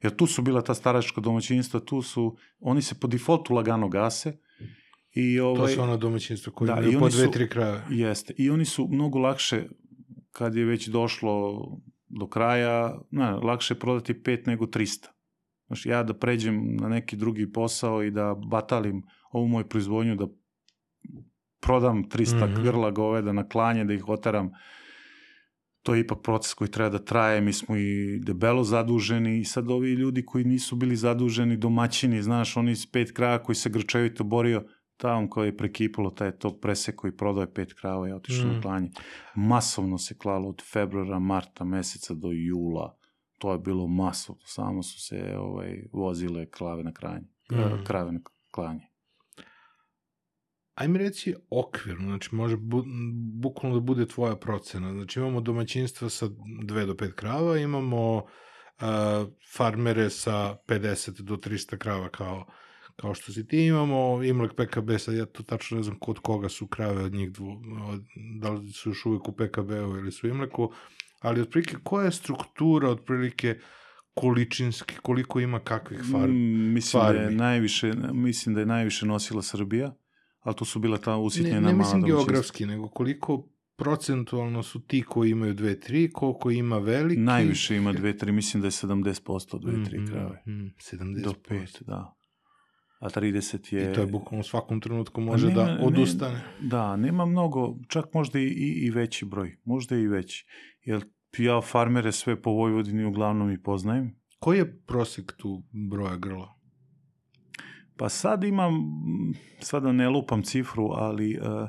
Jer tu su bila ta staračka domaćinstva, tu su, oni se po defaultu lagano gase. I ovaj, to su ono domaćinstvo koje da, imaju po dve, tri kraja. Jeste. I oni su mnogo lakše, kad je već došlo do kraja, ne, lakše prodati pet nego trista. Znači, ja da pređem na neki drugi posao i da batalim ovu moju proizvodnju, da prodam trista mm-hmm. grla goveda na klanje, da ih oteram, to je ipak proces koji treba da traje, mi smo i debelo zaduženi i sad ovi ljudi koji nisu bili zaduženi, domaćini, znaš, oni iz pet kraja koji se grčevito borio, tamo koji je prekipalo, taj je to presek koji prodao je pet krava i otišao mm. na klanje. Masovno se klalo od februara, marta meseca do jula. To je bilo masovno. Samo su se ovaj, vozile krave na kranje. Mm. Krave na klanje. Ajme reci okvirno, znači može bu, bukvalno da bude tvoja procena. Znači imamo domaćinstva sa dve do pet krava, imamo uh, farmere sa pedeset do trista krava kao kao što si ti, imamo Imlek P K B, sad ja to tačno ne znam kod koga su krave od njih dvu, da li su još uvijek u P K B-u ili su Imleku, ali otprilike koja je struktura otprilike količinski, koliko ima kakvih farmi? Mm, mislim, farmi. Da je najviše, mislim da je najviše nosila Srbija, ali to su bila ta usitnjena mala domaćinstva. Ne, ne mislim geografski, nego koliko procentualno su ti koji imaju dve, tri, koliko ima veliki? Najviše ima dve, tri, mislim da je sedamdeset posto dve, tri krave. Mm, mm, sedamdeset posto. Do pet, da. A trideset je... I to je bukvalno u svakom trenutku može nema, da odustane. Ne, da, nema mnogo, čak možda i, i, i veći broj. Možda i veći. Jer ja farmere sve po Vojvodini uglavnom i poznajem. Koji je prosek tu broja grla? Pa sad imam, sada ne lupam cifru, ali uh,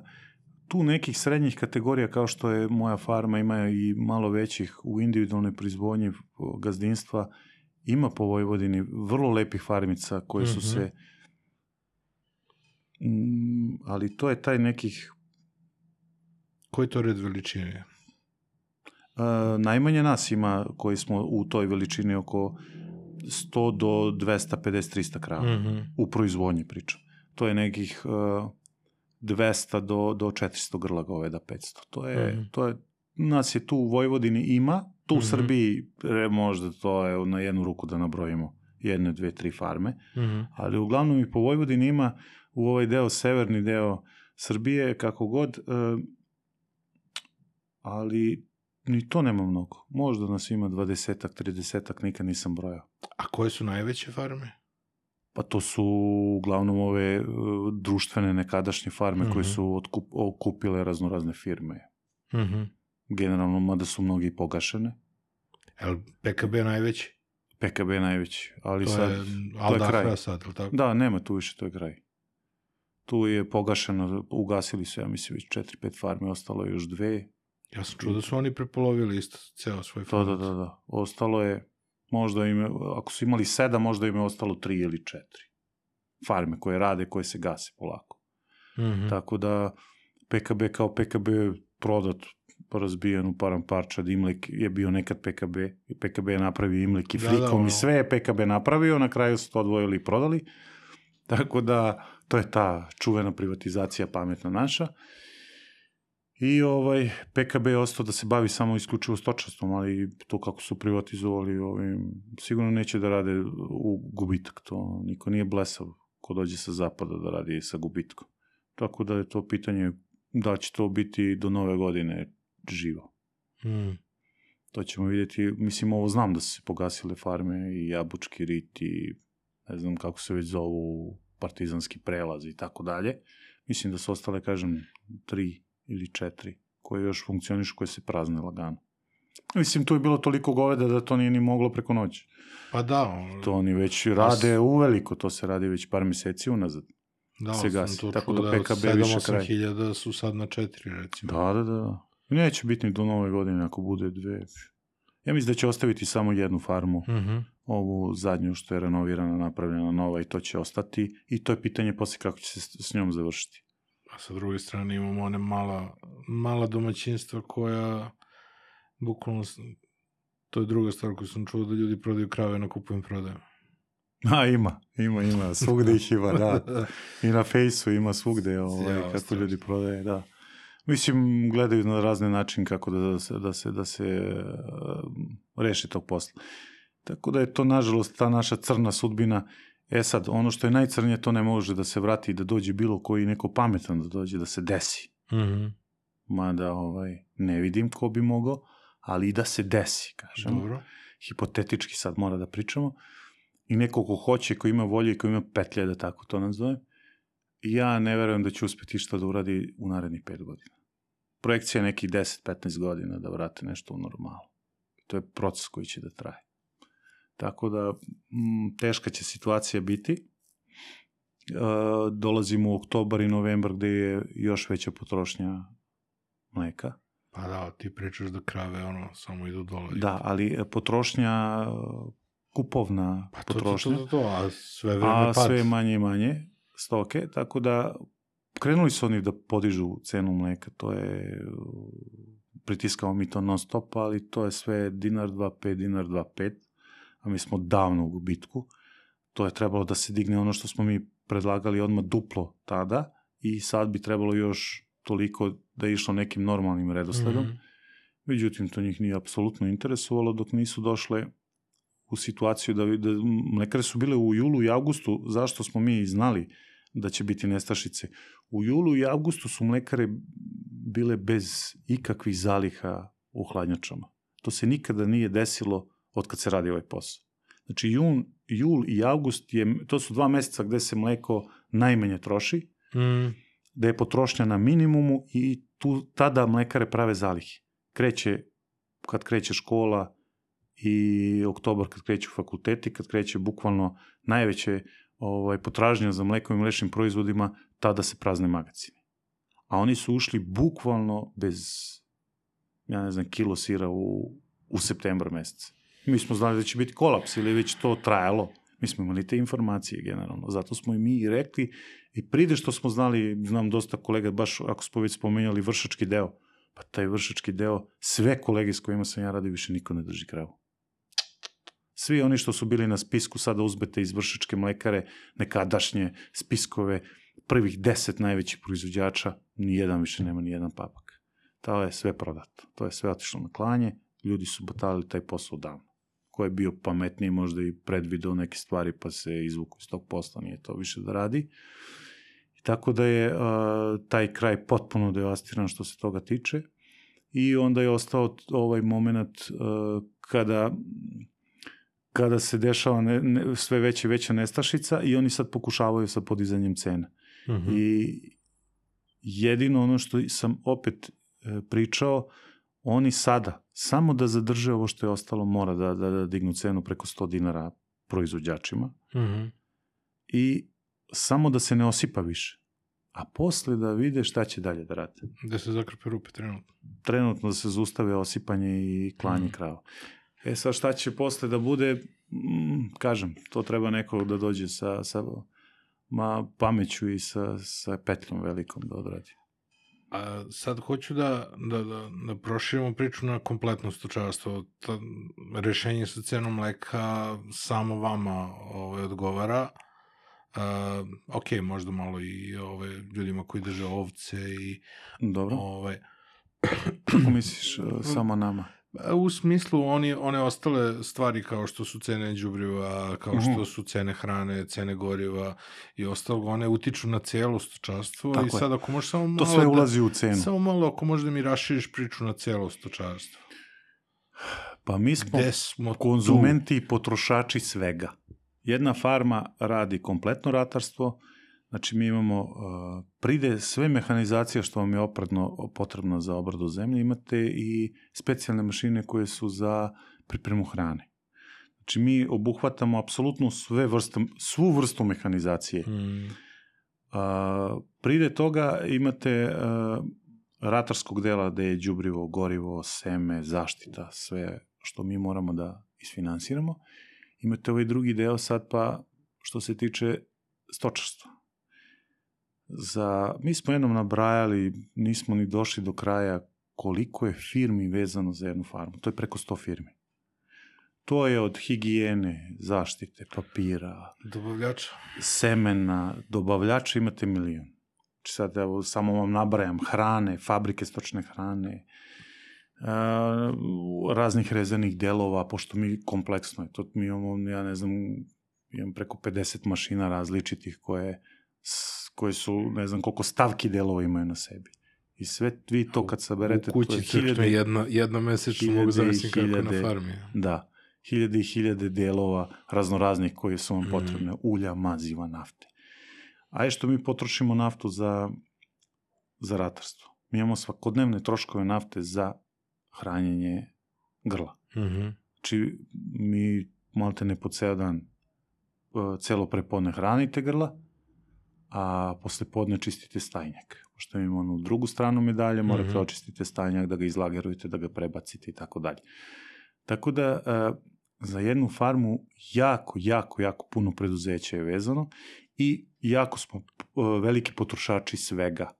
tu nekih srednjih kategorija kao što je moja farma, ima i malo većih u individualnoj proizvodnji gazdinstva, ima po Vojvodini vrlo lepih farmica koje su mm-hmm. se... Mm, ali to je taj nekih... Koji to red veličine? Uh, najmanje nas ima koji smo u toj veličini oko sto do dvesta pedeset trista krava. Mm-hmm. U proizvodnji pričam. To je nekih uh, dvesta do, do četiristo grla goveda, petsto. To je, mm-hmm. to je, nas je tu u Vojvodini ima, tu u mm-hmm. Srbiji možda to je na jednu ruku da nabrojimo jedne, dve, tri farme, mm-hmm. ali uglavnom i po Vojvodini ima u ovaj deo, severni deo Srbije, kako god, uh, ali ni to nema mnogo. Možda nas ima dvadesetak, tridesetak, nikad nisam brojao. A koje su najveće farme? Pa to su uglavnom ove uh, društvene nekadašnje farme mm-hmm. koje su otkup, okupile raznorazne firme. Mm-hmm. Generalno, mada su mnogi pogašene. Je P K B najveći? P K B najveći, ali to sad... Je, to je kraj. Sad, ili tako? Da, nema tu više, to je kraj. Tu je pogašeno, ugasili su, ja mislim, već četiri, pet farme, ostalo je još dve. Ja sam čuo da su oni prepolovili isto ceo svoj fond. Da, da, da, da. Ostalo je, možda im, ako su imali sedam, možda im je ostalo tri ili četiri farme koje rade, koje se gase polako. Mm-hmm. Tako da P K B kao P K B prodat, razbijen u param parčad, Imlek je bio nekad P K B, i P K B je napravio Imlek i Frikom, da, da, no. I sve je P K B napravio, na kraju su to odvojili i prodali. Tako da, to je ta čuvena privatizacija pametna naša. I ovaj, P K B je ostao da se bavi samo isključivo stočarstvom, ali to kako su privatizovali, ovim, sigurno neće da rade u gubitak. To niko nije blesav ko dođe sa zapada da radi sa gubitkom. Tako da je to pitanje da će to biti do nove godine živo. Mm. To ćemo vidjeti. Mislim, ovo znam da su se pogasile farme i Jabučki rit i ne znam kako se već zovu partizanski prelaz i tako dalje. Mislim da su ostale, kažem, tri ili četiri koje još funkcionišu, koje se prazne lagano. Mislim, tu je bilo toliko goveda da to nije ni moglo preko noći. Pa da. On... To oni već rade uveliko, to se radi već par mjeseci unazad. Da, se gasi. sam to Tako čuo da da P K B sedam više osam kraj. hiljada su sad na četiri, recimo. Da, da, da. Neće biti ni do nove godine ako bude dve. Ja mislim da će ostaviti samo jednu farmu, Mm-hmm. ovu zadnju što je renovirana, napravljena nova i to će ostati. I to je pitanje poslije kako će se s njom završiti. A sa druge strane imamo one mala, mala domaćinstva koja, bukvalno, to je druga stvar koju sam čuo, da ljudi prodaju krave na kupujem prodaju. A, ima, ima, ima, svugde ih ima, da. I na fejsu ima svugde, ovaj, kako strašno. Ljudi prodaje, da. Mislim, gledaju na razne načine kako da se, da se, da se uh, reši tog posla. Tako da je to, nažalost, ta naša crna sudbina. E sad, ono što je najcrnije, to ne može da se vrati i da dođe bilo koji neko pametan da dođe, da se desi. Mm-hmm. Mada ovaj, ne vidim ko bi mogao, ali i da se desi, kažem. Dobro. Hipotetički sad mora da pričamo. I neko ko hoće, ko ima volje i ko ima petlje, da tako to nazovem, ja ne verujem da će uspjeti što da uradi u narednih pet godina. Projekcija je nekih deset do petnaest godina da vrate nešto u normalu. To je proces koji će da traje. Tako da, m, teška će situacija biti. E, dolazimo u oktobar i novembar gde je još veća potrošnja mleka. Pa da, ti pričaš da krave ono samo idu dole. Da, ali potrošnja, kupovna pa to, potrošnja. To, to, to, to, a sve vreme a pad. sve manje i manje stoke, tako da krenuli su oni da podižu cenu mleka, to je, pritiskamo mi to non stop, ali to je sve dinar, dva, pet, dinar, dva, pet, a mi smo davno u gubitku. To je trebalo da se digne ono što smo mi predlagali odmah duplo tada i sad bi trebalo još toliko da je išlo nekim normalnim redosledom. Mm-hmm. Međutim, to njih nije apsolutno interesovalo dok nisu došle u situaciju da, da mlekare su bile u julu i avgustu, zašto smo mi znali da će biti nestašice. U julu i avgustu su mlekare bile bez ikakvih zaliha u hladnjačama. To se nikada nije desilo od kad se radi ovaj posao. Znači, jun, jul i avgust, je, to su dva mjeseca gde se mleko najmanje troši, Mm. da je potrošnja na minimumu i tu, tada mlekare prave zalihe. Kreće, kad kreće škola i oktobar kad kreću fakulteti, kad kreće bukvalno najveće ovaj, potražnja za mlekom i mlečnim proizvodima, tada se prazne magacine. A oni su ušli bukvalno bez, ja ne znam, kilo sira u, u septembar mjeseca. Mi smo znali da će biti kolaps ili već to trajalo. Mi smo imali te informacije generalno. Zato smo i mi i rekli i pride što smo znali, znam dosta kolega, baš ako smo već spomenjali vršački deo, pa taj vršački deo, sve kolege s kojima sam ja radio više niko ne drži kravu. Svi oni što su bili na spisku, sada uzmete iz vršačke mlekare, nekadašnje spiskove, prvih deset najvećih proizvođača, nijedan više nema nijedan papak. To je sve prodato. To je sve otišlo na klanje, ljudi su batalili taj posao davno. Ko je bio pametniji, možda i predvideo neke stvari, pa se izvuku iz tog posla, nije to više da radi. I tako da je uh, taj kraj potpuno devastiran što se toga tiče. I onda je ostao ovaj moment uh, kada... kada se dešava ne, ne, sve veća i veća nestašica i oni sad pokušavaju sa podizanjem cena. Mm-hmm. I jedino ono što sam opet e, pričao, oni sada, samo da zadrže ovo što je ostalo, mora da, da, da dignu cenu preko sto dinara proizvođačima Mm-hmm. i samo da se ne osipa više. A posle da vide šta će dalje da rade. Da se zakrpe rupe trenutno. Trenutno da se zaustave osipanje i klanje mm. krava. E sad šta će posle da bude, mm, kažem, to treba nekog da dođe sa, sa ma, pameću i sa, sa petljom velikom da odradi. A sad hoću da, da, da, da proširimo priču na kompletno stočarstvo. Ta, rešenje sa cenom mleka samo vama ovaj, odgovara. Uh, ok, možda malo i ove, ljudima koji drže ovce i Dobro. Ovaj, Kako misliš, samo nama? U smislu oni, one ostale stvari kao što su cene đubriva, kao Mhm. što su cene hrane, cene goriva i ostalo, one utiču na cijelo stočarstvo. Tako I je. sad ako možeš samo malo To sve da- ulazi u cenu. Samo malo ako možeš da mi raširiš priču na cijelo stočarstvo. Pa mi smo Gde smo konzumenti i potrošači svega. Jedna farma radi kompletno ratarstvo, znači mi imamo, uh, pride sve mehanizacije što vam je opredno potrebno za obradu zemlje, imate i specijalne mašine koje su za pripremu hrane. Znači mi obuhvatamo apsolutno sve vrste, svu vrstu mehanizacije. tu? Mm. Uh, pride toga imate uh, ratarskog dela gde je đubrivo, gorivo, seme, zaštita, sve što mi moramo da isfinansiramo. Imate ovaj drugi deo sad pa što se tiče stočarstva. Za, mi smo jednom nabrajali, nismo ni došli do kraja koliko je firmi vezano za jednu farmu. To je preko sto firmi. To je od higijene, zaštite, papira, Dobavljača. semena, dobavljača imate milion. Znači sad evo, samo vam nabrajam hrane, fabrike stočne hrane, uh, raznih rezanih delova, pošto mi kompleksno je. To mi imamo, ja ne znam, imam preko pedeset mašina različitih koje, s- koje su, ne znam koliko stavki delova imaju na sebi. I sve vi to kad saberete, U kući to je crkne hiljade, jedno, jedno mesečno hiljade mogu i zamisliti kako je na hiljade- farmi. da, hiljade i hiljade delova raznoraznih koji su vam Mm. potrebne, ulja, maziva, nafte. A je što mi potrošimo naftu za, za ratarstvo. Mi imamo svakodnevne troškove nafte za hranjenje grla. Mhm. Znači, mi malte ne po ceo dan uh, celo prepodne hranite grla, a posle podne čistite stajnjak. Pošto imamo onu drugu stranu medalje, morate Mhm. očistite stajnjak, da ga izlagerujete, da ga prebacite i tako dalje. Tako da, uh, za jednu farmu jako, jako, jako puno preduzeća je vezano i jako smo uh, veliki potrošači svega.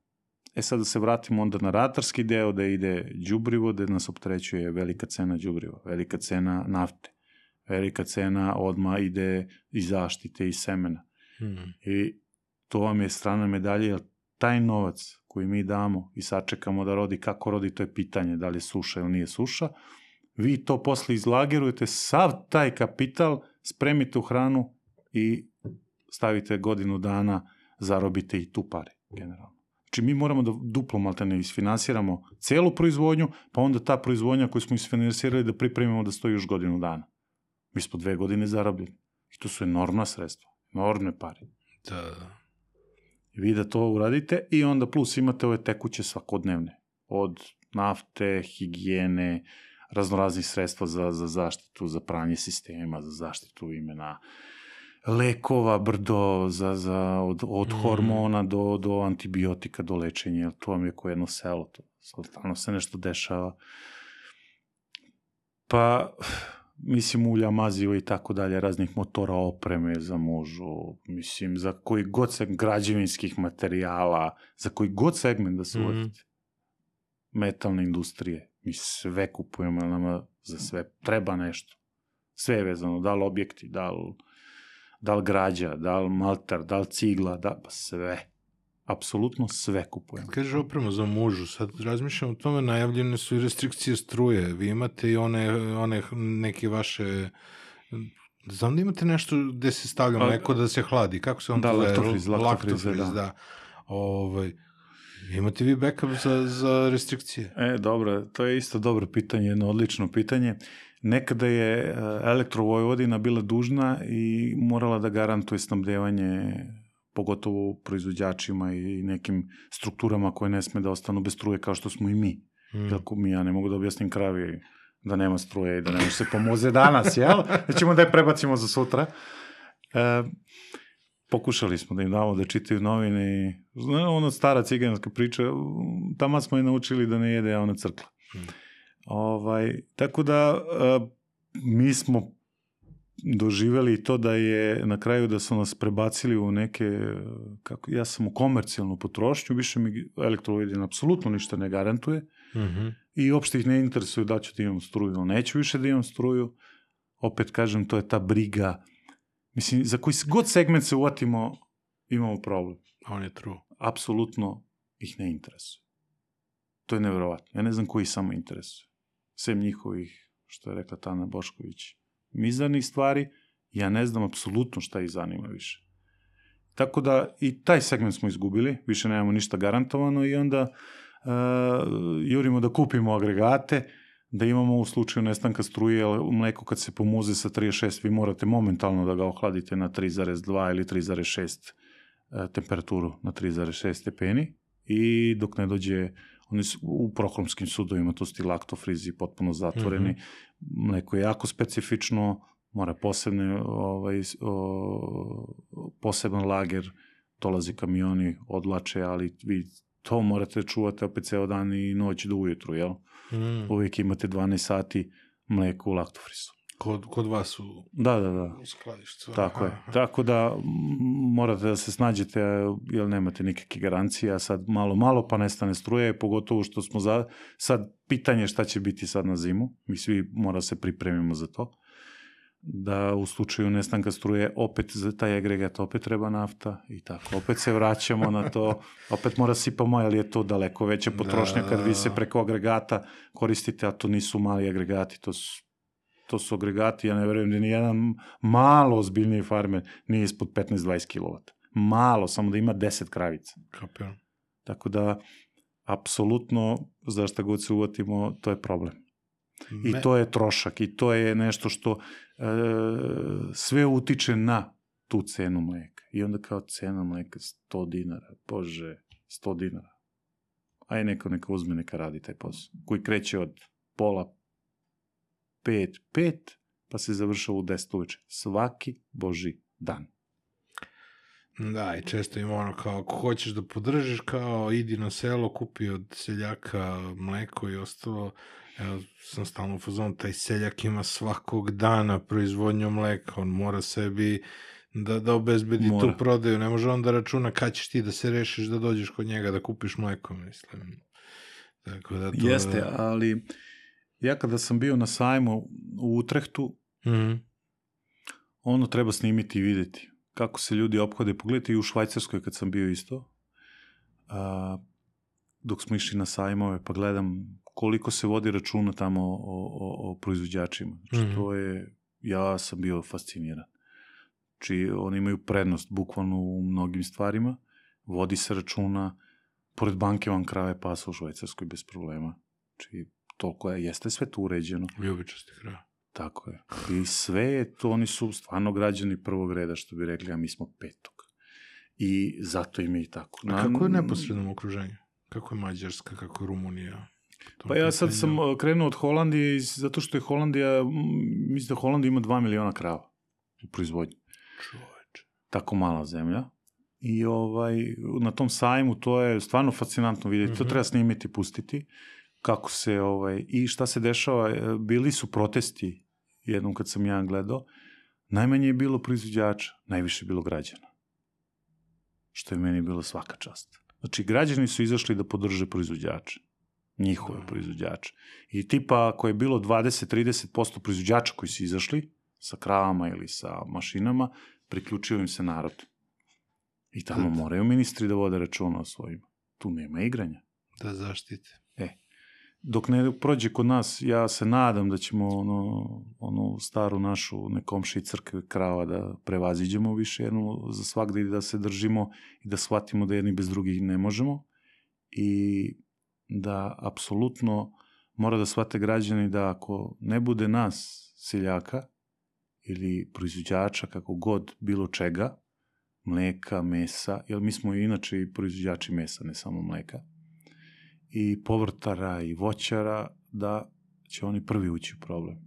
E sad da se vratimo onda na ratarski deo, da ide đubrivo, da nas opterećuje velika cena đubriva, velika cena nafte, velika cena odma ide i zaštite i semena. Mhm. I to vam je strana medalje, jer taj novac koji mi damo i sačekamo da rodi, kako rodi, to je pitanje, da li je suša ili nije suša, vi to posle izlagerujete, sav taj kapital spremite u hranu i stavite godinu dana, zarobite i tu pare, generalno. Znači mi moramo da duplo maltene isfinansiramo celu proizvodnju, pa onda ta proizvodnja koju smo isfinansirali da pripremimo da stoji još godinu dana. Mi smo dve godine zarobljeni. I to su enormna sredstva, enormne pare. Da, da. I vi da to uradite i onda plus imate ove tekuće svakodnevne. Od nafte, higijene, raznoraznih sredstva za, za zaštitu, za pranje sistema, za zaštitu imena, lekova, brdo, za, za, od, od Mm. hormona do, do antibiotika, do lečenja, jer to vam je ko jedno selo, to stalno se nešto dešava. Pa, mislim, ulja, maziva i tako dalje, raznih motora, opreme za mužu, mislim, za koji god segment građevinskih materijala, za koji god segment da se Mhm. uvodite. Metalne industrije, mi sve kupujemo, jer nama za sve treba nešto. Sve je vezano, da li objekti, da li, da li građa, da li malter, da li cigla, da, pa sve. Apsolutno sve kupujemo. Kad kažeš opremu za mužu, sad razmišljam o tome, najavljene su i restrikcije struje. Vi imate i one, one neke vaše... Znam da imate nešto gde se stavlja Pa- mleko da se hladi. Kako se on Da, to zove? laktofriz, laktofriz, Laktofriz, da. da. Ovaj, imate vi backup za, za restrikcije? E, dobro, to je isto dobro pitanje, jedno odlično pitanje. Nekada je uh, Elektrovojvodina bila dužna i morala da garantuje snabdevanje pogotovo proizvođačima i nekim strukturama koje ne sme da ostanu bez struje kao što smo i mi. Mm. Kako mi, ja ne mogu da objasnim kravi da nema struje i da ne može se pomoze danas, jel? Da ćemo da je prebacimo za sutra. E, pokušali smo da im damo da čitaju novine i ono stara ciganska priča, tamo smo je naučili da ne jede, a ona crkla. Mm. Ovaj, tako da e, mi smo doživeli to da je na kraju da su nas prebacili u neke, kako, ja sam u komercijalnu potrošnju, više mi Elektrovojvodina apsolutno ništa ne garantuje Mhm. i uopšte ih ne interesuju da ću da imam struju, ali neću više da imam struju. Opet kažem, to je ta briga. Mislim, za koji god segment se uvatimo, imamo problem. On je true. Apsolutno ih ne interesuje. To je nevjerovatno. Ja ne znam koji samo interesuje. Sem njihovih, što je rekla Tana Bošković, mizarnih stvari, ja ne znam apsolutno šta ih zanima više. Tako da i taj segment smo izgubili, više nemamo ništa garantovano i onda uh, jurimo da kupimo agregate, da imamo u slučaju nestanka struje, jer mleko kad se pomuze sa trideset šest, vi morate momentalno da ga ohladite na tri zarez dva ili tri zarez šest uh, temperaturu na tri zarez šest stepeni i dok ne dođe, oni su u prokromskim sudovima, to su ti laktofrizi potpuno zatvoreni, mm-hmm. mleko je jako specifično, mora posebne, ovaj, o, poseban lager, dolazi kamioni, odlače, ali vi to morate čuvati opet ceo dan i noć do ujutru, jel? Mm. Uvijek imate dvanaest sati mleko u laktofrizu. Kod, kod vas u, da, da, da. u skladištu. Tako je. Tako da morate da se snađete, jer nemate nikakve garancije, a sad malo, malo pa nestane struje, pogotovo što smo za... Sad pitanje šta će biti sad na zimu, mi svi mora se pripremimo za to, da u slučaju nestanka struje opet za taj agregat opet treba nafta i tako, opet se vraćamo na to, opet mora sipamo, ali je to daleko veća potrošnja da, kad vi se preko agregata koristite, a to nisu mali agregati, to su, to su agregati, ja ne verujem da nijedan malo ozbiljniji farmer nije ispod petnaest do dvadeset kilovata. Malo, samo da ima deset kravica. Kapiram. Tako da, apsolutno, za šta god se uvatimo, to je problem. I Me... to je trošak i to je nešto što e, sve utiče na tu cenu mleka. I onda kao cena mleka sto dinara, bože, sto dinara. Aj neko neka uzme, neka radi taj posao. Koji kreće od pola pet, pet, pa se završava u deset uveče. Svaki boži dan. Da, i često ima ono kao, ako hoćeš da podržiš, kao idi na selo, kupi od seljaka mleko i ostalo. Ja sam stalno u fazonu, taj seljak ima svakog dana proizvodnju mleka, on mora sebi da, da obezbedi mora. Tu prodaju, ne može on da računa kad ćeš ti da se rešiš da dođeš kod njega da kupiš mleko, mislim. Tako da to... Jeste, ali ja kada sam bio na sajmu u Utrehtu, mm-hmm. ono treba snimiti i vidjeti kako se ljudi ophode. Pogledajte i u Švajcarskoj kad sam bio isto, a, dok smo išli na sajmove, pa gledam koliko se vodi računa tamo o, o, o proizvođačima. Znači, mm-hmm. to je, ja sam bio fasciniran. Znači, oni imaju prednost bukvalno u mnogim stvarima, vodi se računa, pored banke vam krave pasa u Švajcarskoj bez problema. Znači, toliko je, jeste sve tu uređeno. Ljubičasti krave. Tako je. I sve je to, oni su stvarno građani prvog reda, što bi rekli, a mi smo petog. I zato im je i tako. A kako je neposredno okruženje? Kako je Mađarska, kako je Rumunija? Pa ja sad sam krenuo od Holandije, zato što je Holandija, mislim da Holandija ima dva miliona krava u proizvodnji. Čoveče. Tako mala zemlja. I ovaj, na tom sajmu to je stvarno fascinantno vidjeti. Mm-hmm. To treba snimiti, pustiti. Kako se, ovaj, i šta se dešava. Bili su protesti jednom kad sam ja gledao. Najmanje je bilo proizvođača, najviše je bilo građana. Što je meni bilo svaka čast. Znači, građani su izašli da podrže proizvođače. Njihove mm. proizvođače. I tipa, ako je bilo dvadeset do trideset posto proizvođača koji su izašli sa kravama ili sa mašinama, priključio im se narod. I tamo da. Moraju ministri da vode računa o svojima. Tu nema igranja. Da zaštite. E, dok ne prođe kod nas, ja se nadam da ćemo ono, onu staru našu nekomši crkve krava da prevaziđemo više jednu za svakda i da se držimo i da shvatimo da jedni bez drugih ne možemo. I da apsolutno mora da shvate građani da ako ne bude nas, seljaka, ili proizvođača, kako god, bilo čega, mleka, mesa, jer mi smo inače i proizvođači mesa, ne samo mleka, i povrtara i voćara, da će oni prvi ući u problem.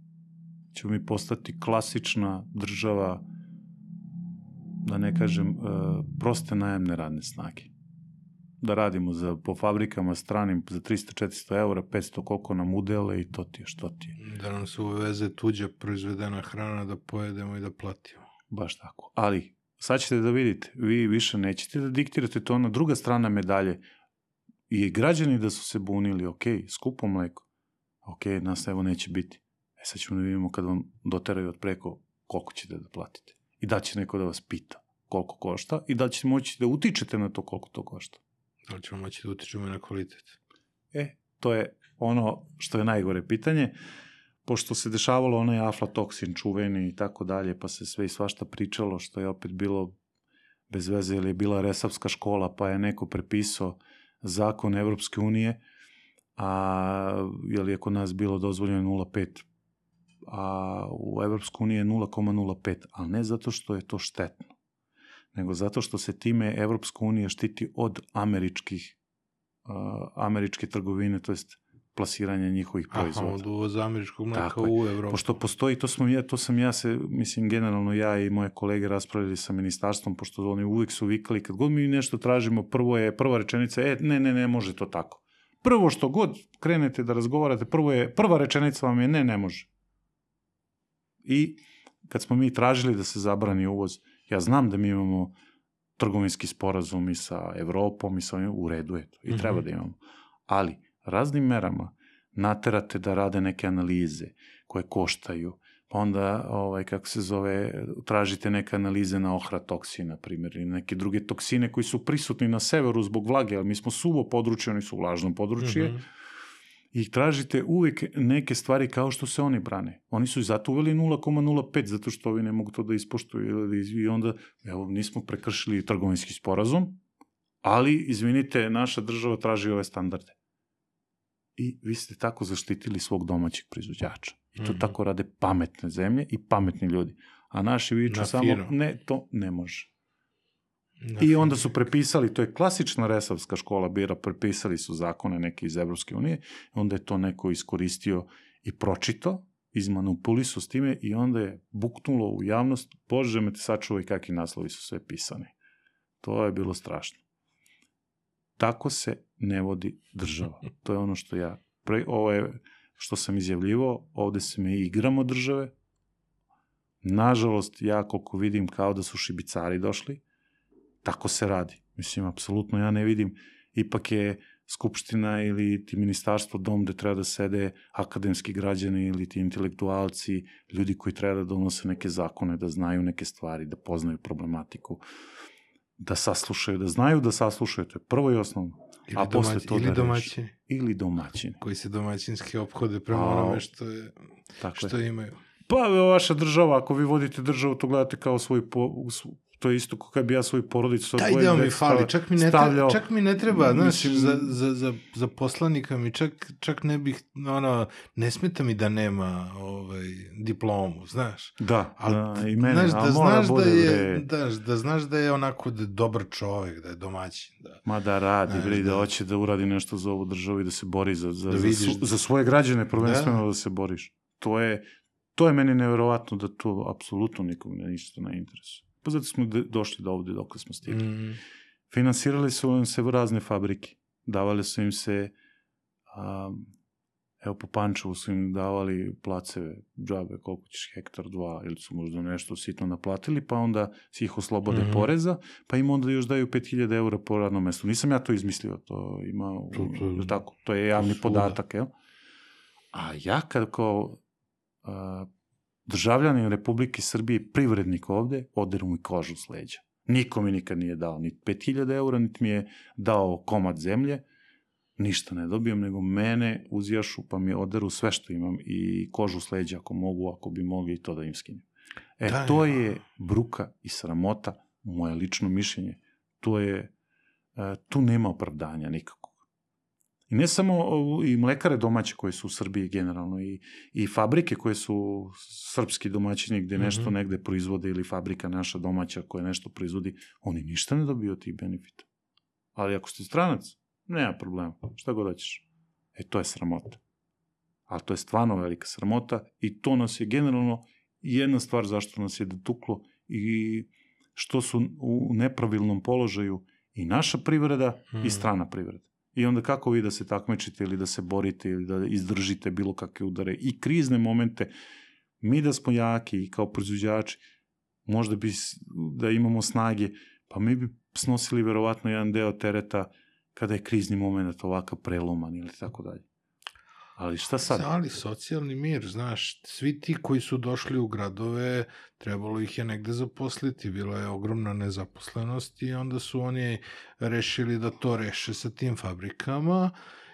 Ćemo mi postati klasična država, da ne kažem, proste najemne radne snage. Da radimo za, po fabrikama stranim za tristo do četiristo eura, petsto koliko nam udele i to ti je, što ti je. Da nam se uveze tuđa proizvedena hrana da pojedemo i da platimo. Baš tako. Ali, sad ćete da vidite, vi više nećete da diktirate to na druga strana medalje. I građani da su se bunili, ok, skupo mleko, ok, nas evo neće biti. E sad ćemo da vidimo kad vam doteraju od preko koliko ćete da platite. I da će neko da vas pita koliko košta i da ćete moći da utičete na to koliko to košta. Da li ćemo moći da utičemo i na kvalitet? E, to je ono što je najgore pitanje, pošto se dešavalo onaj aflatoksin čuveni i tako dalje, pa se sve i svašta pričalo, što je opet bilo bez veze, ili je bila Resavska škola, pa je neko prepisao zakon Evropske unije, a jer je kod nas bilo dozvoljeno nula zarez pet, a u Evropskoj uniji je nula zarez nula pet, ali ne zato što je to štetno, nego zato što se time Evropska unija štiti od američkih, uh, američke trgovine, to jest plasiranja njihovih proizvoda. Aha, od uvoza američkog mleka u Evropu. Pošto postoji, to, smo ja, to sam ja se, mislim, generalno ja i moje kolege raspravili sa ministarstvom, pošto oni uvijek su vikali, kad god mi nešto tražimo, prvo je, prva rečenica, e, ne, ne, ne, može to tako. Prvo što god krenete da razgovarate, prvo je, prva rečenica vam je, ne, ne može. I kad smo mi tražili da se zabrani uvoz, ja znam da mi imamo trgovinski sporazum i sa Evropom i sa ovim, u redu je to, i treba mm-hmm. da imamo. Ali, raznim merama naterate da rade neke analize koje koštaju, pa onda, ovaj, kako se zove, tražite neke analize na ohratoksin, na primjer, i neke druge toksine koji su prisutni na severu zbog vlage, ali mi smo suvo područje, oni su vlažno područje, mm-hmm. i tražite uvijek neke stvari kao što se oni brane. Oni su i zato uveli nula zarez nula pet, zato što ovi ne mogu to da ispoštuju, i onda, evo, nismo prekršili trgovinski sporazum, ali, izvinite, naša država traži ove standarde. I vi ste tako zaštitili svog domaćeg proizvođača. I to mm-hmm. tako rade pametne zemlje i pametni ljudi. A naši viču samo, ne, to ne može. Na I onda su prepisali, to je klasična Resavska škola bira, prepisali su zakone neke iz Evropske unije, onda je to neko iskoristio i pročito, izmanipulisao s time i onda je buknulo u javnost, Bože me te sačuvaj kakvi naslovi su sve pisani. To je bilo strašno. Tako se ne vodi država. To je ono što ja, pre, ovo je što sam izjavljivao, ovde se mi igramo države. Nažalost, ja koliko vidim kao da su šibicari došli, tako se radi. Mislim, apsolutno ja ne vidim, ipak je skupština ili ti ministarstvo dom gde treba da sede akademski građani ili ti intelektualci, ljudi koji treba da donose neke zakone, da znaju neke stvari, da poznaju problematiku, da saslušaju, da znaju da saslušaju, to je prvo i osnovno. Ili, a domać, posle to ili da domaćini. Reši. Ili domaćini. Koji se domaćinski ophode prema onome što, je, što je. imaju. Pa vaša država, ako vi vodite državu, to gledate kao svoj po, to je isto kako bi ja svoju porodicu... Taj deo mi fali, čak mi ne, stavljao, čak mi ne treba, znaš, mislim, za, za, za, za poslanika mi čak, čak ne bih, ono, ne smeta mi da nema ovaj, diplomu, znaš. Da, al, da i mene, znaš, da, znaš da, je, da, da znaš da je onako da je dobar čovek, da je domaćin. Da. Ma da radi, znaš, bre, da, da hoće da uradi nešto za ovu državu i da se bori za, za, da za, za, za svoje građane, prvenstveno da. da se boriš. To je, to je meni neverovatno da to apsolutno nikom ne ništa ne interesuje. Pa zato smo došli do ovde dok smo stigli. Mm. Finansirali su im se razne fabrike. Davali su im se, um, evo po Pančevu su im davali placeve, džabe, koliko ćeš, hektar, dva, ili su možda nešto sitno naplatili, pa onda si ih oslobode mm. poreza, pa im onda još daju pet hiljada eura po radnom mestu. Nisam ja to izmislio, to ima, to, to, tako, to je javni to podatak, jel? A ja kad kao... Uh, državljanin Republike Srbije, privrednik ovde, oderu mi kožu s leđa. Niko mi nikad nije dao ni pet hiljada eura, niti mi je dao komad zemlje, ništa ne dobijem, nego mene uzjašu pa mi oderu sve što imam i kožu s leđa ako mogu, ako bi mogli i to da im skinem. E, da, to je bruka i sramota, moje lično mišljenje. To je, tu nema opravdanja nikako. I ne samo i mlekare domaće koje su u Srbiji generalno, i, i fabrike koje su srpski domaćini gde nešto mm-hmm. negde proizvode, ili fabrika naša domaća koja nešto proizvodi, oni ništa ne dobiju od tih benefita. Ali ako ste stranac, nema problema, šta god hoćeš. E, to je sramota. Ali to je stvarno velika sramota i to nas je generalno jedna stvar zašto nas je dotuklo i što su u nepravilnom položaju i naša privreda mm. i strana privreda. I onda kako vi da se takmičite ili da se borite ili da izdržite bilo kakve udare i krizne momente, mi da smo jaki i kao proizvođači, možda bi da imamo snage, pa mi bi snosili verovatno jedan deo tereta kada je krizni moment ovakav preloman ili tako dalje. Ali šta sad? Ali socijalni mir, znaš, svi ti koji su došli u gradove, trebalo ih je negde zaposliti, bila je ogromna nezaposlenost i onda su oni rešili da to reše sa tim fabrikama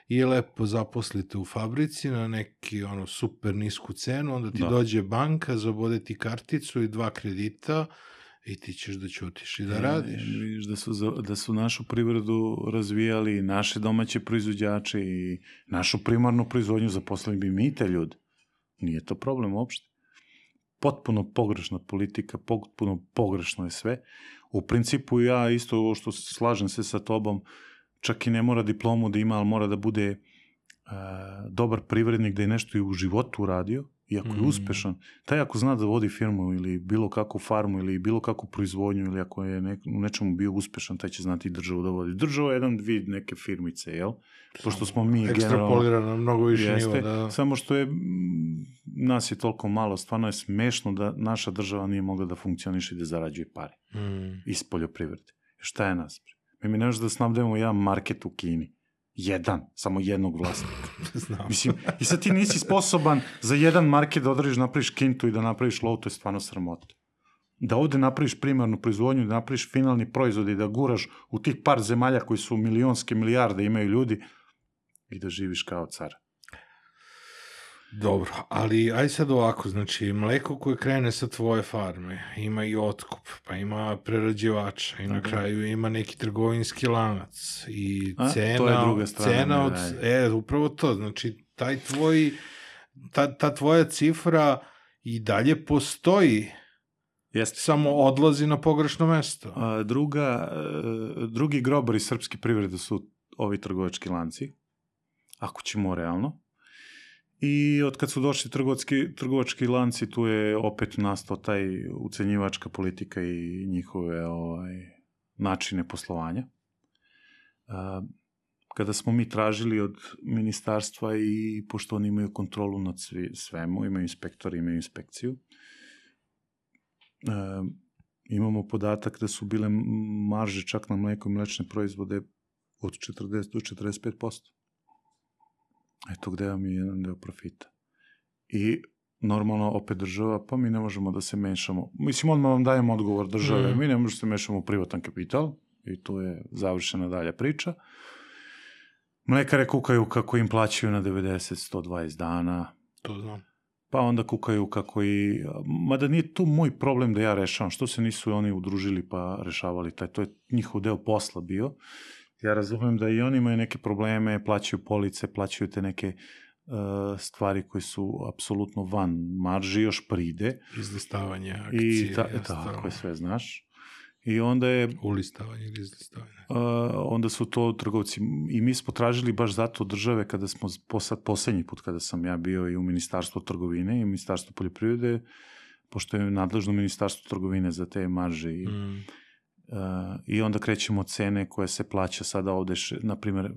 i lepo zaposlite u fabrici na neki ono super nisku cenu, onda ti Da. dođe banka, zabode ti karticu i dva kredita i ti ćeš da ćutiš i da radiš. E, vidiš da su, za- da su našu privredu razvijali naše domaće proizvođače i našu primarnu proizvodnju, zaposlili bi mi te ljude. Nije to problem uopšte. Potpuno pogrešna politika, potpuno pogrešno je sve. U principu ja isto ovo što se- slažem se sa tobom, čak i ne mora diplomu da ima, ali mora da bude e, dobar privrednik, da je nešto i u životu uradio, i ako je Mm. uspešan, taj ako zna da vodi firmu ili bilo kakvu farmu ili bilo kakvu proizvodnju ili ako je nek, u nečemu bio uspešan, taj će znati i državu da vodi. Država je jedan vid neke firmice, jel? Pošto smo mi generalno... Ekstrapolirano na mnogo više Jeste, nivo. Da... samo što je, mm, nas je toliko malo, stvarno je smešno da naša država nije mogla da funkcioniše i da zarađuje pare Mm. iz poljoprivrede. Šta je nas? Mi mi ne možemo da snabdemo jedan market u Kini. Jedan, samo jednog vlasnika. Znam. Mislim, i sad ti nisi sposoban za jedan market da odradiš, napraviš kintu i da napraviš lov, to je stvarno sramota. Da ovde napraviš primarnu proizvodnju, da napraviš finalni proizvod i da guraš u tih par zemalja koji su milionske milijarde imaju ljudi i da živiš kao car. Dobro, ali aj sad ovako, znači mleko koje krene sa tvoje farme, ima i otkup, pa ima prerađivača i na Tako je. kraju ima neki trgovinski lanac i A, cena, to je druga strana cena od, medalje. e, upravo to, znači taj tvoj, ta, ta tvoja cifra i dalje postoji, Jeste. samo odlazi na pogrešno mesto. A, druga, e, drugi grobari srpske privrede su ovi trgovački lanci, ako ćemo realno. I od kad su došli trgovački, trgovački lanci, tu je opet nastao taj ucenjivačka politika i njihove ovaj, načine poslovanja. A, kada smo mi tražili od ministarstva i pošto oni imaju kontrolu nad svi, svemu, imaju inspektori, imaju inspekciju, a, imamo podatak da su bile marže čak na mleko i mlečne proizvode od četrdeset do četrdeset pet posto. Eto gde vam je jedan deo profita. I normalno opet država, pa mi ne možemo da se mešamo. Mislim, odmah vam dajemo odgovor države, Mm. mi ne možemo da se mešamo u privatan kapital i tu je završena dalja priča. Mlekare kukaju kako im plaćaju na devedeset do sto dvadeset dana, To znam. pa onda kukaju kako i... Mada nije tu moj problem da ja rešavam, što se nisu oni udružili pa rešavali taj, to je njihov deo posla bio. Ja razumem da i oni imaju neke probleme, plaćaju police, plaćaju te neke uh, stvari koje su apsolutno van marži, još pride. Izlistavanje akcije. I ta, i ostalo. tako je, sve znaš. I onda je, Ulistavanje ili izlistavanje. uh, onda su to trgovci, i mi smo tražili baš zato od države, kada smo, posad, posljednji put kada sam ja bio i u Ministarstvu trgovine i Ministarstvu poljoprivrede, pošto je nadležno Ministarstvo trgovine za te marže i Mm. Uh, i onda krećemo od cene koja se plaća sada ovde, še, na primjer,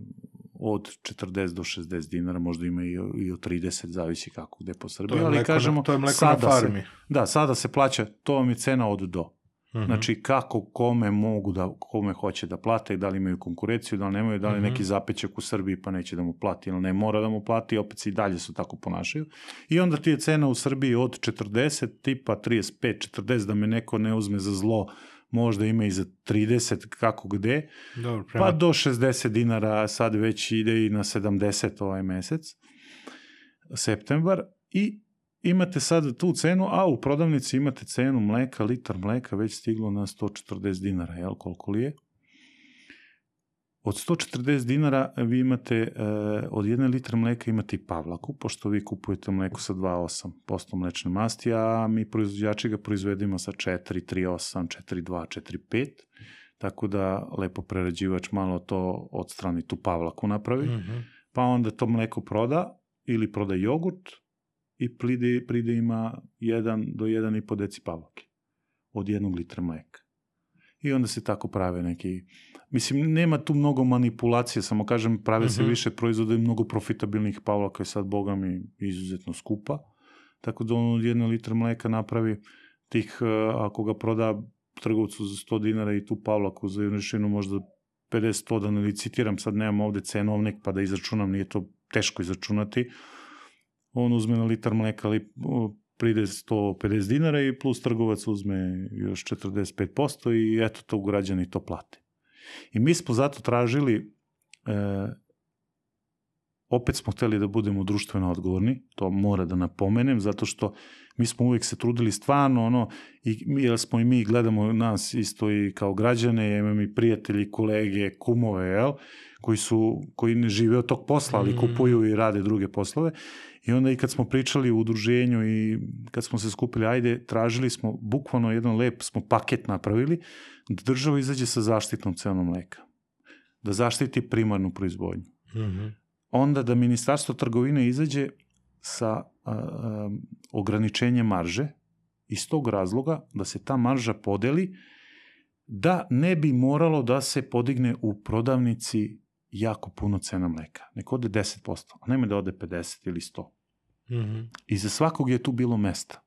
od četrdeset do šezdeset dinara, možda ima i, i od trideset, zavisi kako gde po To Srbiji, je ali mleko, kažemo, na, to je mleko na sada farmi. se, da, sada se plaća, to vam je cena od do. Mhm. Znači, kako, kome mogu da, kome hoće da plate, da li imaju konkurenciju, da li nemaju, da li Mhm. neki zapećak u Srbiji pa neće da mu plati, ili ne mora da mu plati, opet se i dalje su tako ponašaju. I onda ti je cena u Srbiji od četrdeset, tipa trideset pet četrdeset, da me neko ne uzme za zlo, možda ima i za trideset, kako gde, Dobro, prema... pa do šezdeset dinara, sad već ide i na sedamdeset ovaj mesec, septembar, i imate sad tu cenu, a u prodavnici imate cenu mleka, litar mleka već stiglo na sto četrdeset dinara, jel, koliko li je? Od sto četrdeset dinara vi imate, e, od jedne litre mleka imate i Pavlaku, pošto vi kupujete mleko sa dva zarez osam posto mlečne masti, a mi proizvođači ga proizvedemo sa četiri, tri zarez osam, četiri zarez dva, četiri zarez pet, tako da lepo prerađivač malo to odstrani, tu Pavlaku napravi, Mhm. pa onda to mleko proda ili proda jogurt i pride, pride ima jedan do jedan i po deci Pavlake od jednog litra mleka. I onda se tako prave neki... Mislim, nema tu mnogo manipulacije, samo kažem, prave se Mhm. više proizvoda i mnogo profitabilnih Pavlaka je sad, boga mi, izuzetno skupa. Tako da on od jedne litra mleka napravi tih, uh, ako ga proda trgovcu za sto dinara i tu Pavlaku za junišinu možda pedeset sto, da ne licitiram, sad nemam ovde cenovnik pa da izračunam, nije to teško izračunati. On uzme na litar mleka li, uh, pride sto pedeset dinara i plus trgovac uzme još četrdeset pet posto i eto to građani to plate. I mi smo zato tražili e, opet smo hteli da budemo društveno odgovorni, to mora da napomenem, zato što mi smo uvijek se trudili stvarno, ono, i, jer smo i mi gledamo nas isto i kao građane, imamo i prijatelji, kolege, kumove, jel, koji su, koji ne žive od tog posla, ali kupuju i rade druge poslove. I onda i kad smo pričali u udruženju i kad smo se skupili, ajde, tražili smo, bukvalno jedan lep smo paket napravili, da država izađe sa zaštitnom cenom mleka. Da zaštiti primarnu proizvodnju. Mm-hmm. Onda da Ministarstvo trgovine izađe sa a, a, ograničenjem marže, iz tog razloga da se ta marža podeli, da ne bi moralo da se podigne u prodavnici jako puno cena mleka. Nek ode deset posto, a nema da ode pedeset ili sto. Mm-hmm. I za svakog je tu bilo mesta.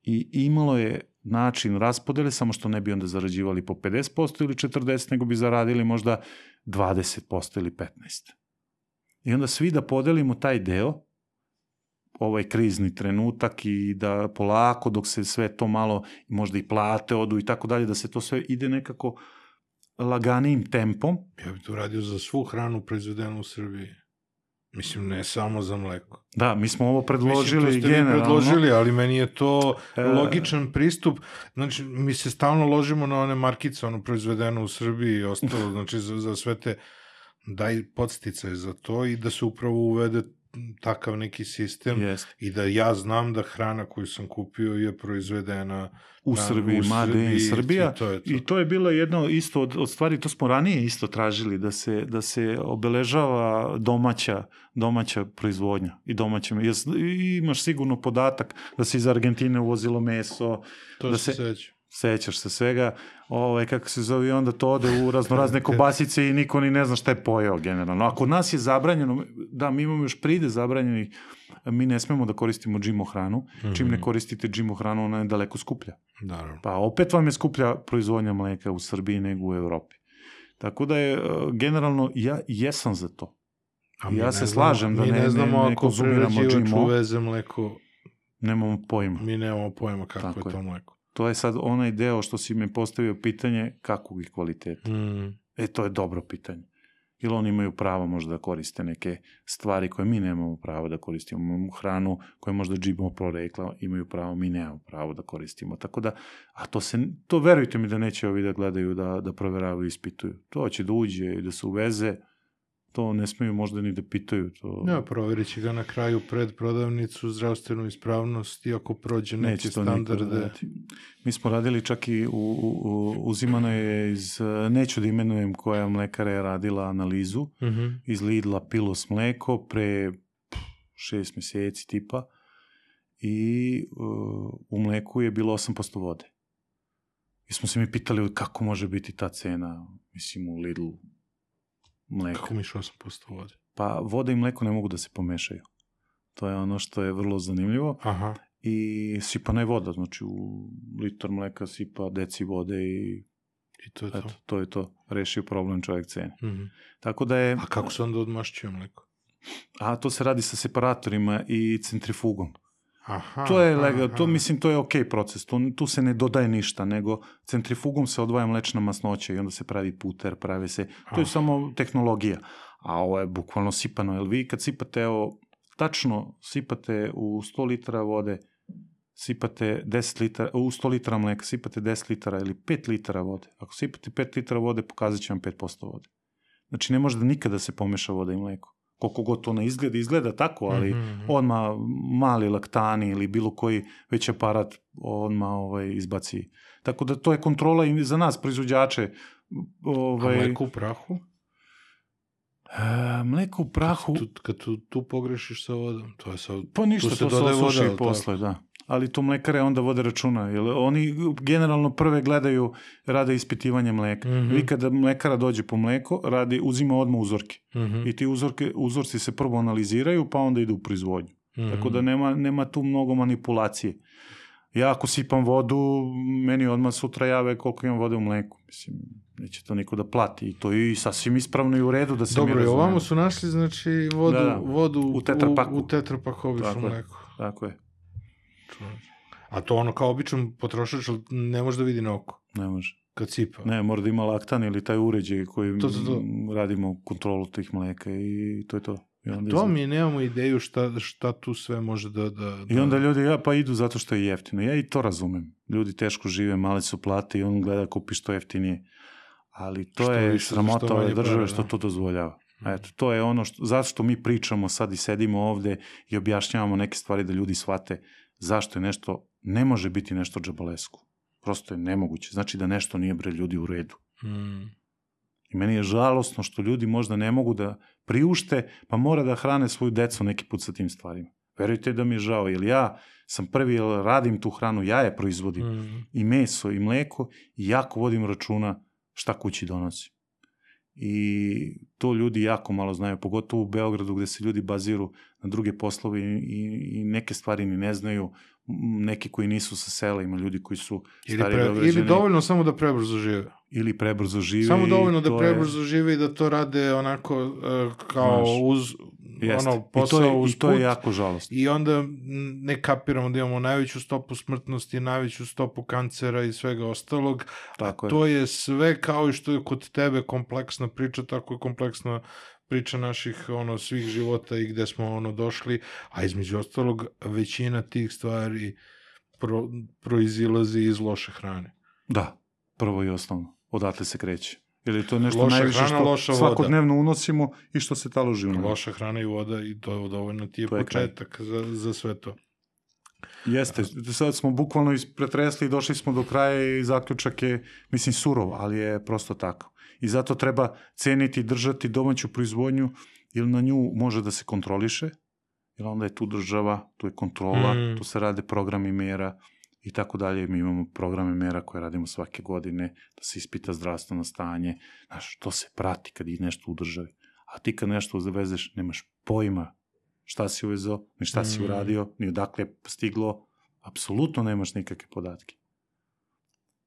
I imalo je način raspodele, samo što ne bi onda zarađivali po pedeset posto ili četrdeset, nego bi zaradili možda dvadeset posto ili petnaest posto. I onda svi da podelimo taj deo, ovaj krizni trenutak i da polako dok se sve to malo, možda i plate odu i tako dalje, da se to sve ide nekako laganijim tempom. Ja bih to radio za svu hranu proizvedenu u Srbiji. Mislim, ne samo za mleko. Da, mi smo ovo predložili Mislim, to ste generalno. vi predložili, ali meni je to logičan pristup. Znači, mi se stalno ložimo na one markice, ono proizvedeno u Srbiji i ostalo, znači za, za sve te daj podsticaje za to i da se upravo uvede takav neki sistem Yes. i da ja znam da hrana koju sam kupio je proizvedena u na, Srbiji, u Made in Srbija. I to je to. I to je bilo jedno isto od, od stvari, to smo ranije isto tražili, da se, da se obeležava domaća, domaća proizvodnja i domaće. I imaš sigurno podatak da se iz Argentine uvozilo meso. To da se se seća. Sećaš se svega, ovaj, kako se zove, i onda to ode u raznorazne kobasice i niko ni ne zna šta je pojeo generalno. A kod nas je zabranjeno, da, mi imamo još pride zabranjenih, mi ne smemo da koristimo G M O hranu, mm-hmm. čim ne koristite G M O hranu, ona je daleko skuplja. Naravno. Pa opet vam je skuplja proizvodnja mleka u Srbiji nego u Evropi. Tako da je, generalno, ja jesam za to. I ja se znamo, slažem da ne, ne, znamo ne, ne konzumiramo G M O. Uveze mleko, nemamo pojma. Mi nemamo pojma kako Tako je to mleko. To je sad onaj deo što si me postavio pitanje kakvog je kvaliteta. Mm. E, to je dobro pitanje. Ili oni imaju pravo možda da koriste neke stvari koje mi nemamo pravo da koristimo. Hranu koje možda G M O prorekla imaju pravo, mi nemamo pravo da koristimo. Tako da, a to se, to verujte mi da neće ovi da gledaju, da, da proveravaju i ispituju. To će da uđe i da se uveze, to ne smiju možda ni da pitaju. To... Ja, provjerit će ga na kraju pred prodavnicu, zdravstvenu ispravnost, iako prođe neke standarde. Mi smo radili čak i u, u, uzimano je iz, neću da imenujem koja mlekara je radila analizu, mm-hmm. iz Lidla Pilos mleko pre šest mjeseci tipa i uh, u mleku je bilo osam posto vode. I smo se mi pitali kako može biti ta cena, mislim, u Lidlu mleka. Kako miš osam posto vode? Pa voda i mleko ne mogu da se pomešaju. To je ono što je vrlo zanimljivo. Aha. I sipana je voda, znači u litar mleka sipa deci vode i, I to je to. Eto, to je to. Rešio problem čovjek cene. Mm-hmm. Tako da je... A kako se onda odmašćuje mleko? A to se radi sa separatorima i centrifugom. Aha, to je legal, aha. to mislim to je okej proces, to, tu se ne dodaje ništa, nego centrifugom se odvaja mlečna masnoća i onda se pravi puter, pravi se, to je ah. samo tehnologija, a ovo je bukvalno sipano, jer vi kad sipate, evo, tačno sipate u sto litara vode, sipate deset litara, u sto litara mleka sipate deset litara ili pet litara vode, ako sipate pet litara vode, pokazat će vam pet posto vode. Znači ne može da nikada se pomeša voda i mleko. Koliko god to ne izgleda, izgleda tako, ali mm-hmm. odmah mali laktani ili bilo koji već aparat odmah ovaj, izbaci. Tako da to je kontrola i za nas, proizvođače. Ovaj, a mleko u prahu? E, mleko u prahu... Kad tu, kad tu, tu pogrešiš sa vodom, to je sa... Pa ništa, to se osuši i posle, da. Ali to mlekare onda vode računa, jer oni generalno prve gledaju, rade ispitivanje mleka. Mm-hmm. Vi kada mlekara dođe po mleko, radi, uzima odmah uzorke. Mm-hmm. I ti uzorke, uzorci se prvo analiziraju, pa onda idu u proizvodnju. Mm-hmm. Tako da nema, nema tu mnogo manipulacije. Ja ako sipam vodu, meni odmah sutra jave koliko imam vode u mleku. Mislim, neće to niko da plati. I to je i sasvim ispravno i u redu da se Dobro, mi razumemo. Dobro, ovamo su našli znači vodu, da, da. vodu u tetrapaku. U, u tetrapaku obično mleko. Tako je. A to ono kao običan potrošač ne može da vidi na oko? Ne može. Kad sipa? Ne, mora da ima laktan ili taj uređaj koji to, to, to. radimo kontrolu tih mleka i to je to. I onda, To izgleda... mi nemamo ideju šta, šta tu sve može da, da, da... I onda ljudi, ja, pa idu zato što je jeftino. Ja i to razumem. Ljudi teško žive, male su plate i on gleda kupi što jeftinije. Ali to Što je više, sramota što ove manje države para, što da. to dozvoljava. Eto, to je ono što, zašto mi pričamo sad i sedimo ovde i objašnjavamo neke stvari da ljudi shvate zašto je nešto, ne može biti nešto džabalesku. Prosto je nemoguće. Znači da nešto nije, bre, ljudi, u redu. Mm. I meni je žalosno što ljudi možda ne mogu da priušte, pa mora da hrane svoju decu neki put sa tim stvarima. Verujte da mi je žao, jer ja sam prvi, jer radim tu hranu, ja je proizvodim. Mm. I meso, i mleko, i jako vodim računa šta kući donosi. I to ljudi jako malo znaju, pogotovo u Beogradu gde se ljudi baziru na druge poslove i, i, i neke stvari ni ne znaju, neki koji nisu sa sela, ima ljudi koji su Ili, stari pre, Beograđani. ili dovoljno samo da prebrzo žive. Ili prebrzo žive. Samo dovoljno i da to prebrzo je... žive i da to rade onako uh, kao Znaš, uz jeste. ono posao I to je, uz i to je put. jako žalostno. I onda ne kapiramo da imamo najveću stopu smrtnosti, najveću stopu kancera i svega ostalog. Tako A je. to je sve kao i što je kod tebe kompleksna priča, tako je kompleksna priča naših ono svih života i gde smo ono došli, a između ostalog većina tih stvari pro, proizilazi iz loše hrane. Da, prvo i osnovno. Odatle se kreće. Jer je to nešto Loša najviše hrana, što loša voda. svakodnevno unosimo i što se taloži u nama. Loša hrana i voda i to je dovoljno ti je, To je početak za, za sve to. Jeste, sad smo bukvalno pretresli i došli smo do kraja i zaključak je, mislim, surov, ali je prosto tako. I zato treba ceniti i držati domaću proizvodnju, jer na nju može da se kontroliše, jer onda je tu država, tu je kontrola, Mm. tu se rade programi mera i tako dalje. Mi imamo programe mera koje radimo svake godine, da se ispita zdravstveno stanje. Znaš, to se prati kad je nešto u državi. A ti kad nešto uvezeš, nemaš pojma šta si uvezao, ni šta si Mm. uradio, ni odakle je stiglo, apsolutno nemaš nikakve podatke.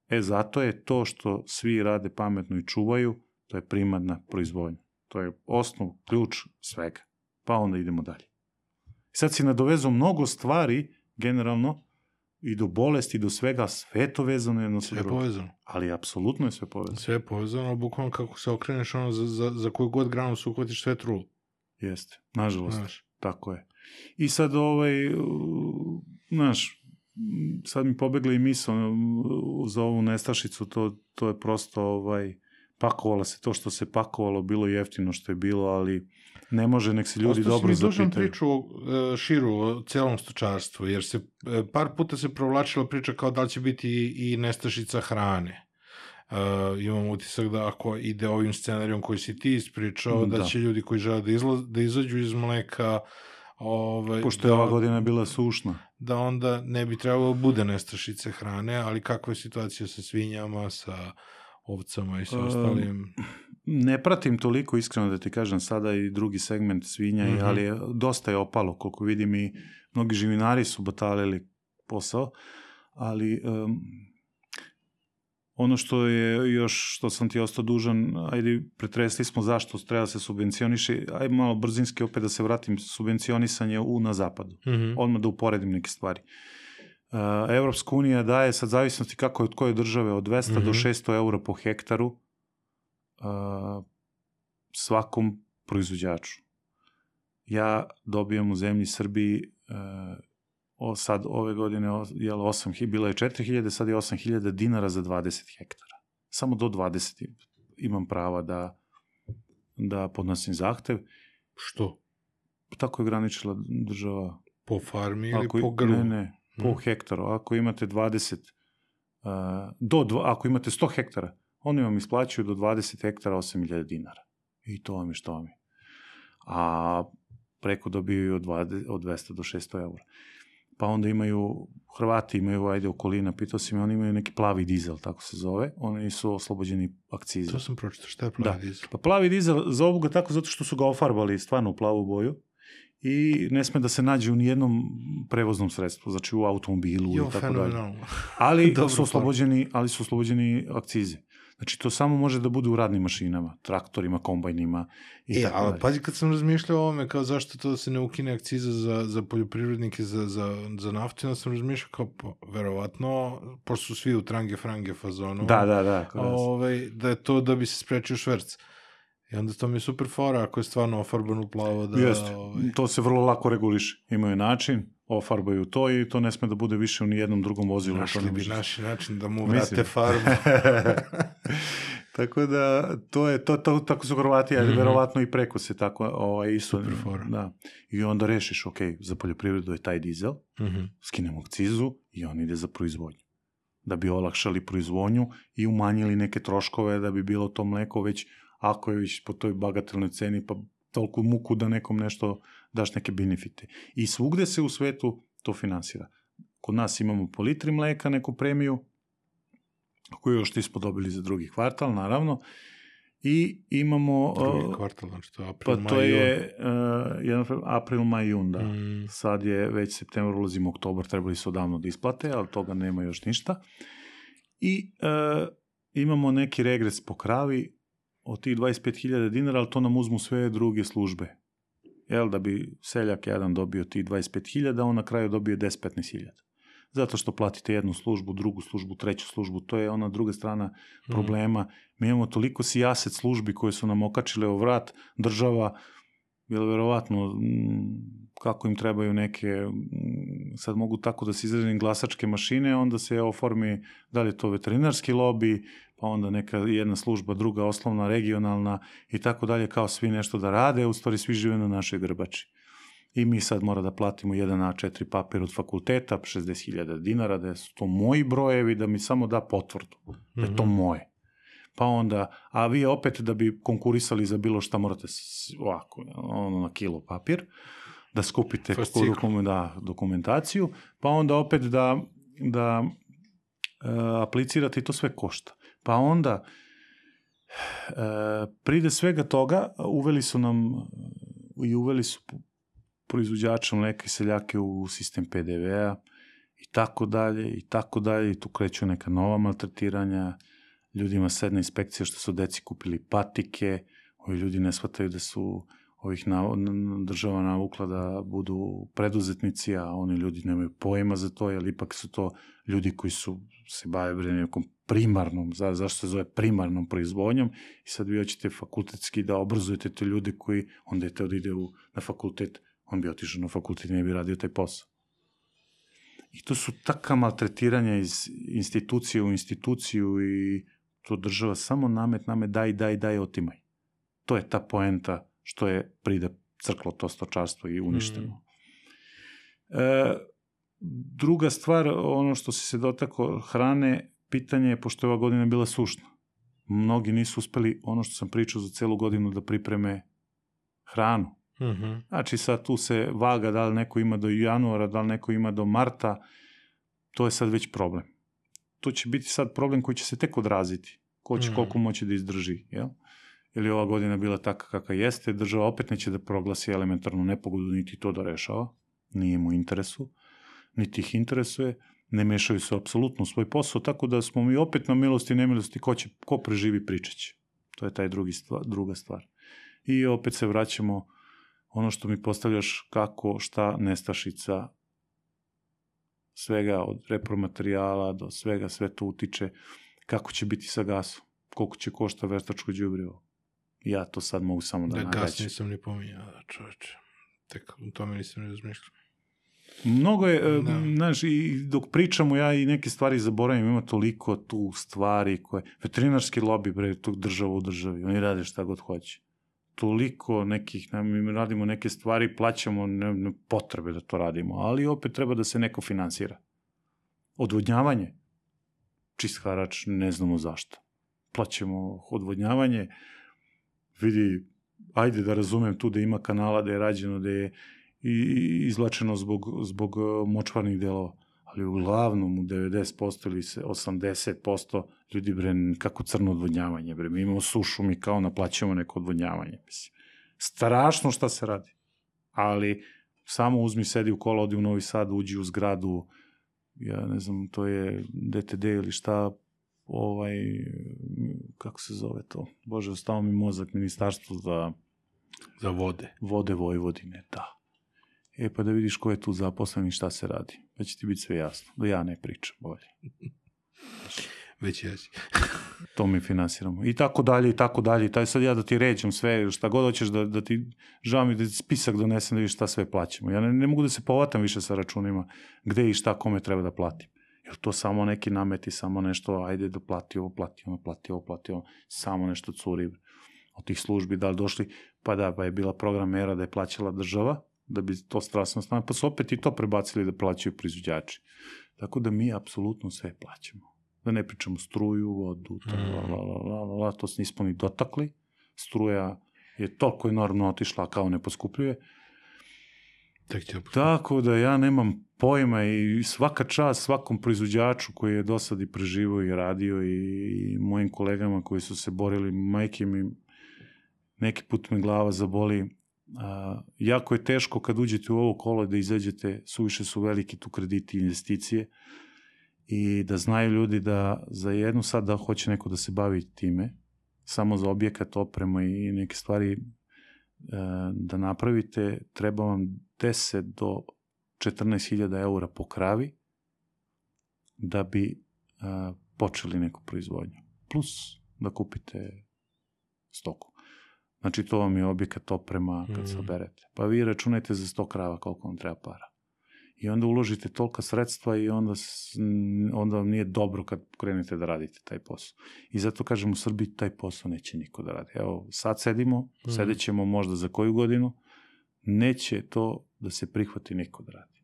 E, zato je to što svi rade pametno i čuvaju, to je primarna proizvodnja. To je osnov, ključ svega. Pa onda idemo dalje. Sad si nadovezao mnogo stvari, generalno, i do bolesti, i do svega, sve to vezano jedno sa Sve je drugim. povezano. Ali apsolutno je sve povezano. Sve je povezano, bukvalno kako se okreneš ono za, za, za koju god granu se uhvatiš sve je trulo. Jeste, nažalost. Znaš. Tako je. I sad ovaj, uh, znaš, m, sad mi pobegla i misao uh, za ovu nestašicu, to, to je prosto ovaj, pakovalo se to što se pakovalo, bilo jeftino što je bilo, ali ne može, nek se ljudi Ostao dobro si mi dužan zapitaju. priču e, širu o celom stočarstvu, jer se e, par puta se provlačila priča kao da li će biti i, i nestašica hrane. Uh, imam utisak da ako ide ovim scenarijom koji si ti ispričao, da, Da. će ljudi koji žele da, izla, da izađu iz mleka, ovaj, Pošto je da, ova godina bila sušna. da onda ne bi trebalo da bude nestašice hrane, ali kakva je situacija sa svinjama, sa ovcama i sa Um, ostalim? Ne pratim toliko, iskreno da ti kažem, sada i drugi segment svinja, Mhm. ali je, dosta je opalo, koliko vidim i mnogi živinari su batalili posao, ali um, ono što je još, što sam ti ostao dužan, ajde, pretresli smo zašto treba se subvencioniše, ajde malo brzinski opet da se vratim, subvencionisanje u, na zapadu. Mhm. Odmah da uporedim neke stvari. Uh, Evropska unija daje, sad zavisnosti kako je od koje države, od dvesta Mhm. do šesto eura po hektaru uh, svakom proizvođaču. Ja dobijam u zemlji Srbiji uh, o, sad ove godine jel, osam hiljada, bila je četiri hiljade, sad je osam hiljada dinara za dvadeset hektara. Samo do dvadeset imam prava da, da podnosim zahtev. Što? Tako je graničila država. Po farmi ili Ako, po grlu? Ne, ne, po Hmm. hektaru. Ako imate dvadeset, uh, do dva, ako imate sto hektara, oni vam isplaćuju do dvadeset hektara osam hiljada dinara. I to vam je što vam je. A preko dobiju od, dvadeset, od dvesta do šesto eura. Pa onda imaju, Hrvati imaju, ajde, okolina, pitao si me, oni imaju neki plavi dizel, tako se zove, oni su oslobođeni akcize. To sam pročitao, šta je plavi Da. dizel? Pa plavi dizel, zovu ga tako zato što su ga ofarbali stvarno u plavu boju i ne sme da se nađe u nijednom prevoznom sredstvu, znači u automobilu Jo, i tako dalje. fenomenalno. Ali Dobro, su oslobođeni, ali su oslobođeni akcize. Znači to samo može da bude u radnim mašinama, traktorima, kombajnima i E, tako ali dalje. pazi kad sam razmišljao o ovome, kao zašto to da se ne ukine akciza za, za poljoprivrednike, za, za, za naftu, onda sam razmišljao kao, pa, verovatno, pošto su svi u trange frange fazonu, Da, da, da. kao da. ovaj, da je to da bi se sprečio šverc. I onda to mi je super fora ako je stvarno ofarban u plavo da... Jeste, ovaj... to se vrlo lako reguliše. Imaju način, ofarbaju to i to ne sme da bude više u nijednom drugom vozilu. Našli bi naši način da mu Mislim. vrate farbu. Tako da, to je, to, to tako su Hrvati, ali mm-hmm. verovatno i preko se tako ovaj, isto. Super fora. Da. I onda rešiš, ok, za poljoprivredu je taj dizel, Mm-hmm. skinemo akcizu i on ide za proizvodnju. Da bi olakšali proizvodnju i umanjili neke troškove da bi bilo to mleko već, ako je već po toj bagatelnoj ceni, pa toliko muku da nekom nešto daš neke benefite. I svugde se u svetu to finansira. Kod nas imamo po litri mleka neku premiju, koju još nismo dobili za drugi kvartal, naravno, i imamo... Drugi uh, kvartal, znači to je april, pa maj, to jun. je uh, jedan, april, maj, jun, da. Mm. Sad je već septembar, ulazimo oktobar, trebali su odavno da isplate, ali toga nema još ništa. I uh, imamo neki regres po kravi od tih dvadeset pet hiljada dinara, ali to nam uzmu sve druge službe. Jel, da bi seljak jedan dobio tih dvadeset pet hiljada, on na kraju dobio deset do petnaest hiljada. Zato što platite jednu službu, drugu službu, treću službu, to je ona druga strana problema. Mm. Mi imamo toliko sijaset službi koje su nam okačile u vrat, država, jer verovatno kako im trebaju neke, sad mogu tako da se izrazim, glasačke mašine, onda se oformi, da li je to veterinarski lobi, pa onda neka jedna služba, druga osnovna, regionalna i tako dalje, kao svi nešto da rade, u stvari svi žive na našoj grbači. I mi sad mora da platimo jedan A četiri papir od fakulteta, šezdeset hiljada dinara, da su to moji brojevi, da mi samo da potvrdu, da je to moje. Pa onda, a vi opet da bi konkurisali za bilo šta morate ovako, ono na kilo papir, da skupite dokumen, da, dokumentaciju, pa onda opet da, da e, aplicirate i to sve košta. Pa onda e, pride svega toga, uveli su nam i uveli su proizvođača mleka i seljake u sistem pe de ve a i tako dalje, i tako dalje, i tu kreću neka nova maltretiranja, ljudima sedna inspekcija što su deci kupili patike, ovi ljudi ne shvataju da su ovih na, država navukla da budu preduzetnici, a oni ljudi nemaju pojma za to, jer ipak su to ljudi koji su se bave nekom primarnom, za, zašto se zove primarnom proizvodnjom, i sad vi hoćete fakultetski da obrazujete te ljude koji, onda je te da ide u, na fakultet, on bi otišao na fakultet i ne bi radio taj posao. I to su taka maltretiranja iz institucije u instituciju i to država samo namet, namet, daj, daj, daj, otimaj. To je ta poenta što je pride crklo to stočarstvo i uništeno. Mm. E, druga stvar, ono što si se dotakao hrane, pitanje je, pošto je ova godina bila sušna. Mnogi nisu uspeli, ono što sam pričao za celu godinu, da pripreme hranu. Mm-hmm. Znači sad tu se vaga da li neko ima do januara, da li neko ima do marta, to je sad već problem. To će biti sad problem koji će se tek odraziti. Ko će mm. koliko moći da izdrži, jel? Jer je ova godina bila taka kakva jeste, država opet neće da proglasi elementarnu nepogodu, niti to da rešava, nije mu interesu, niti ih interesuje, ne mešaju se apsolutno u svoj posao, tako da smo mi opet na milosti i nemilosti, ko, će, ko preživi pričaće. To je taj drugi stvar, druga stvar. I opet se vraćamo ono što mi postavljaš, kako, šta, nestašica, svega od repromaterijala do svega, sve to utiče, kako će biti sa gasom, koliko će košta veštačko đubrivo. Ja to sad mogu samo da, da nagađam. Da, gas nisam ni pominjao, da, čoveče. Tek u tome nisam ni razmišljao. Mnogo je, da. Znaš, i dok pričamo, ja i neke stvari zaboravim, ima toliko tu stvari koje, veterinarski lobby, bre, tog država u državi, oni rade šta god hoće. Toliko nekih, mi radimo neke stvari, plaćamo ne, ne potrebe da to radimo, ali opet treba da se neko finansira. Odvodnjavanje, čist harač, ne znamo zašto. Plaćamo odvodnjavanje, vidi, ajde da razumem tu da ima kanala, da je rađeno, da je izlačeno zbog, zbog močvarnih delova, ali uglavnom u devedeset posto ili osamdeset posto ljudi, bre, kako crno odvodnjavanje, bre, mi imamo sušu, mi kao naplaćamo neko odvodnjavanje, mislim. Strašno šta se radi, ali samo uzmi, sedi u kola, odi u Novi Sad, uđi u zgradu, ja ne znam, to je de te de ili šta, ovaj, kako se zove to, bože, ostao mi mozak, ministarstvo za... Za vode. Vode Vojvodine, da. E, pa da vidiš ko je tu zaposlen i šta se radi. Da će ti biti sve jasno. Da ja ne pričam bolje. Već jesi. To mi finansiramo. I tako dalje, i tako dalje. Taj sad ja da ti ređem sve, šta god hoćeš da, da ti, žao mi da ti spisak donesem da vidiš šta sve plaćamo. Ja ne, ne mogu da se povatam više sa računima gde i šta kome treba da platim. Jer to samo neki nameti, samo nešto, ajde da plati ovo, plati ono, plati ovo, plati ovo, samo nešto curi od tih službi, da li došli, pa da, pa je bila program mera da je plaćala država, da bi to strasno stavljeno, pa su opet i to prebacili da plaćaju proizvođači. Tako da mi apsolutno sve plaćamo. Da ne pričamo struju, vodu, to, la, la, la, la, la, to se nismo ni dotakli. Struja je toliko enormno otišla kao ne poskupljuje. Tako da ja nemam pojma i svaka čast svakom proizvođaču koji je do sad i preživao i radio i mojim kolegama koji su se borili, majke mi, neki put me glava zaboli. A, jako je teško kad uđete u ovo kolo da izađete, suviše su veliki tu krediti i investicije i da znaju ljudi da za jednu sad da hoće neko da se bavi time, samo za objekat, oprema i neke stvari da napravite, treba vam deset do četrnaest hiljada eura po kravi da bi a, počeli neku proizvodnju. Plus da kupite stoku. Znači to vam je objekat, oprema kad se oberete. Pa vi računajte za sto krava koliko vam treba para. I onda uložite tolika sredstva i onda, onda vam nije dobro kad krenete da radite taj posao. I zato kažem, u Srbiji taj posao neće niko da radi. Evo, sad sedimo, mm. sedit ćemo možda za koju godinu, neće to da se prihvati niko da radi.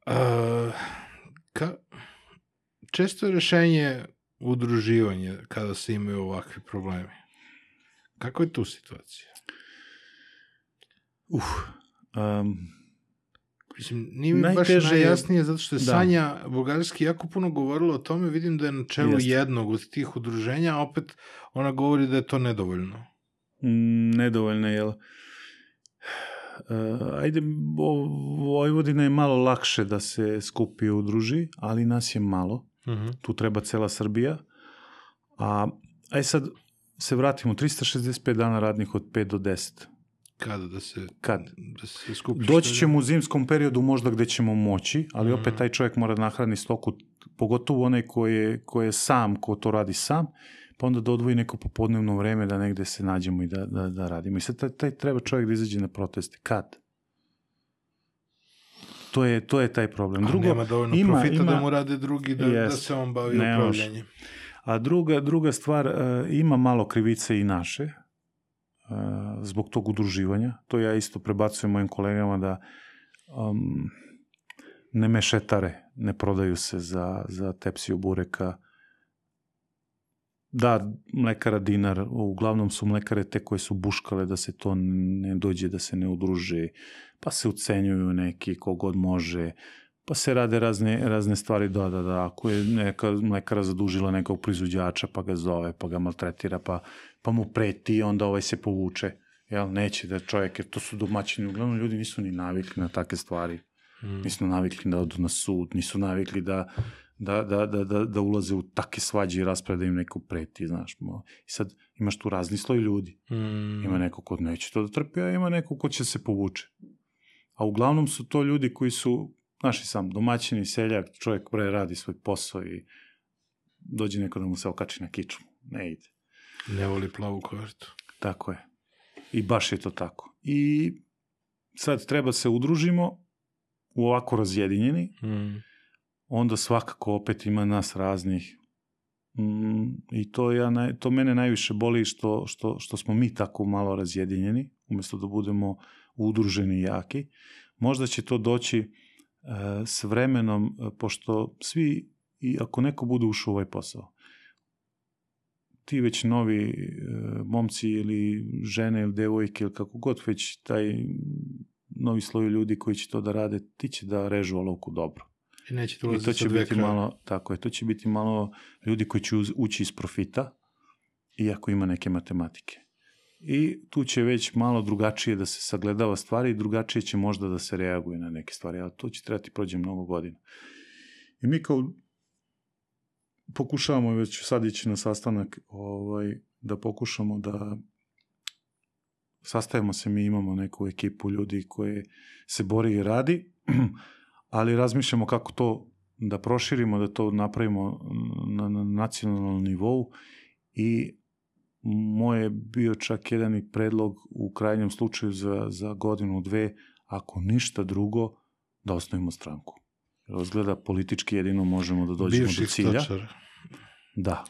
Uh, ka, često je rešenje udruživanje kada se imaju ovakvi problemi. Kako je tu situacija? Uf, um, Mislim, nije mi baš najjasnije, zato što je da. Sanja Bugarski jako puno govorila o tome, vidim da je na čelu Jeste. jednog od tih udruženja, a opet ona govori da je to nedovoljno. Mm, nedovoljno, jel? Uh, ajde, Vojvodina je malo lakše da se skupi i udruži, ali nas je malo. Uh-huh. Tu treba cela Srbija. A, aj sad se vratimo, trista šezdeset pet dana radnih od pet do deset. Kada da se, Kad? Da se skupi? Doći ćemo u zimskom periodu možda gde ćemo moći, ali mm. opet taj čovjek mora da nahrani stoku, pogotovo onaj ko je, ko je sam, ko to radi sam, pa onda da odvoji neko popodnevno vreme da negde se nađemo i da, da, da radimo. I sad taj, taj treba čovjek da izađe na proteste. Kad? To je, to je taj problem. Drugo, a nema dovoljno ima, profita ima, da mu rade drugi, da, jest, da se on bavi upravljanjem. A druga, druga stvar, uh, ima malo krivice i naše, Uh, zbog tog udruživanja. To ja isto prebacujem mojim kolegama da um, ne mešetare, ne prodaju se za, za tepsiju bureka. Da, mlekara dinar, uglavnom su mlekare te koje su buškale da se to ne dođe, da se ne udruže, pa se ucenjuju neki kogod može, pa se rade razne, razne stvari, da, da, da, ako je neka mlekara zadužila nekog proizvođača, pa ga zove, pa ga maltretira, pa, pa mu preti, onda ovaj se povuče. Jel, neće da čovjek, jer to su domaćini, uglavnom ljudi nisu ni navikli na takve stvari. Mm. Nisu navikli da odu na sud, nisu navikli da, da, da, da, da, da ulaze u takve svađe i rasprave da im neko preti, znaš. I sad imaš tu razni sloj ljudi. Mm. Ima neko ko neće to da trpi, a ima neko ko će se povuče. A uglavnom su to ljudi koji su naši sam domaćini, seljak, čovjek pre radi svoj posao i dođe neko da mu se okači na kičmu. Ne ide. Ne voli plavu kartu. Tako je. I baš je to tako. I sad treba se udružimo u ovako razjedinjeni, mm. onda svakako opet ima nas raznih. Mm, I to, ja, to mene najviše boli što, što, što smo mi tako malo razjedinjeni, umjesto da budemo udruženi i jaki. Možda će to doći s vremenom, pošto svi, i ako neko bude ušao u ovaj posao, ti već novi e, momci ili žene ili devojke ili kako god, već taj novi sloj ljudi koji će to da rade, ti će da režu olovku dobro. I, neće I to će biti malo, tako je, to će biti malo ljudi koji će ući iz profita, iako ima neke matematike. I tu će već malo drugačije da se sagledava stvari i drugačije će možda da se reaguje na neke stvari, ali to će trebati prođe mnogo godina. I mi kao pokušavamo već sad ići na sastanak ovaj, da pokušamo da sastajemo se, mi imamo neku ekipu ljudi koje se bori i radi, ali razmišljamo kako to da proširimo, da to napravimo na, na nacionalnom nivou i moj je bio čak jedan i predlog u krajnjem slučaju za, za godinu, dve, ako ništa drugo, da osnovimo stranku. Razgleda politički jedino možemo da dođemo Bivših do cilja. stočara. Da.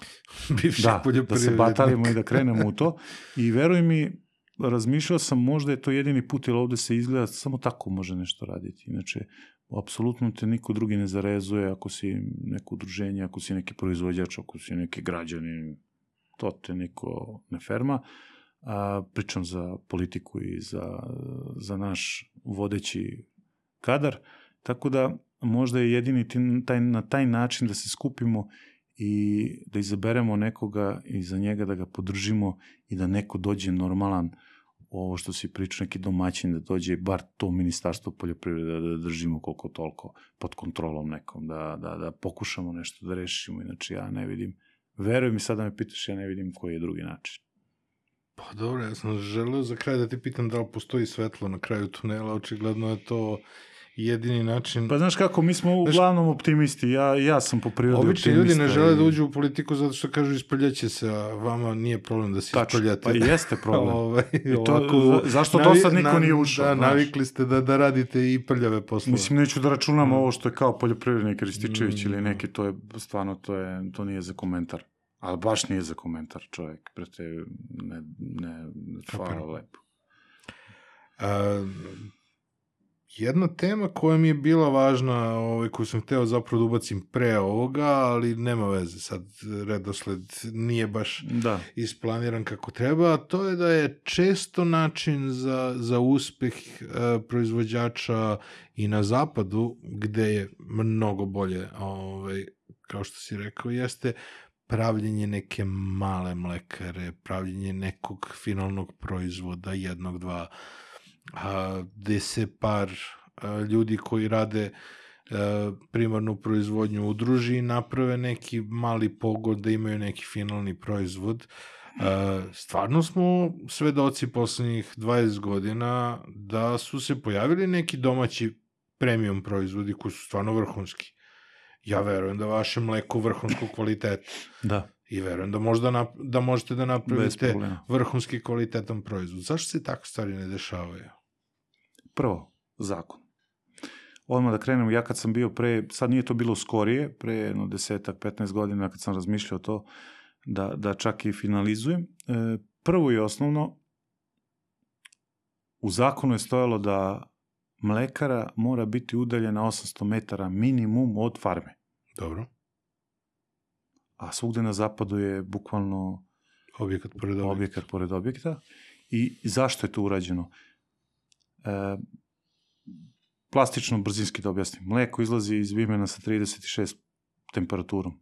Bivših Da, da se batalimo i da krenemo u to. I veruj mi, razmišljao sam, možda je to jedini put, jer ovde se izgleda, samo tako može nešto raditi. Inače, apsolutno te niko drugi ne zarezuje ako si neko udruženje, ako si neki proizvođač, ako si neki građanin, to te niko ne ferma. A, pričam za politiku i za, za naš vodeći kadar. Tako da možda je jedini taj, na taj način da se skupimo i da izaberemo nekoga i za njega da ga podržimo i da neko dođe normalan, ovo što si pričao, neki domaćin, da dođe bar to ministarstvo poljoprivrede da držimo koliko toliko pod kontrolom nekom, da, da, da pokušamo nešto da rešimo. Inače ja ne vidim, veruj mi, sad da me pitaš, ja ne vidim koji je drugi način. Pa dobro, ja sam želeo za kraj da ti pitam da li postoji svetlo na kraju tunela, očigledno je to jedini način. Pa znaš kako, mi smo uglavnom optimisti, ja, ja sam po prirodi optimista. Obični ljudi ne žele da uđu u politiku zato što kažu ispaljaće se, a vama nije problem da se ispaljate. Pa jeste problem. Ove, I to, ovako, zašto navi, do sad niko na, nije ušao? Da, navikli ste da, da radite i prljave poslove. Mislim, neću da računam mm. ovo što je kao poljoprivrednik Rističević mm. ili neki, to je stvarno, to, je, to nije za komentar. Ali baš nije za komentar, čovjek. Prete, ne, ne, hvala lepo. A, jedna tema koja mi je bila važna, ovaj, koju sam hteo zapravo da ubacim pre ovoga, ali nema veze, sad redosled nije baš da. isplaniran kako treba, a to je da je često način za, za uspeh e, proizvođača i na zapadu, gde je mnogo bolje, ovaj, kao što si rekao, jeste pravljenje neke male mlekare, pravljenje nekog finalnog proizvoda, jednog, dva, a, gde se par a, ljudi koji rade a, primarnu proizvodnju udruži i naprave neki mali pogon da imaju neki finalni proizvod. A, stvarno smo svedoci poslednjih dvadeset godina da su se pojavili neki domaći premium proizvodi koji su stvarno vrhunski. Ja verujem da vaše mleko vrhunskog kvaliteta. Da. I verujem da, možda nap, da možete da napravite vrhunski kvalitetan proizvod. Zašto se tako stvari ne dešavaju? Prvo, zakon. Odmah da krenemo, ja kad sam bio pre, sad nije to bilo skorije, pre jedno desetak, petnaest godina kad sam razmišljao to, da, da čak i finalizujem. Prvo i osnovno, u zakonu je stojalo da mlekara mora biti udaljena osamsto metara minimum od farme. Dobro. A svugde na zapadu je bukvalno objekat pored objekta. Objekat pored objekta. I zašto je to urađeno? E, plastično, brzinski da objasnim. Mleko izlazi iz vimena sa trideset šest temperaturom.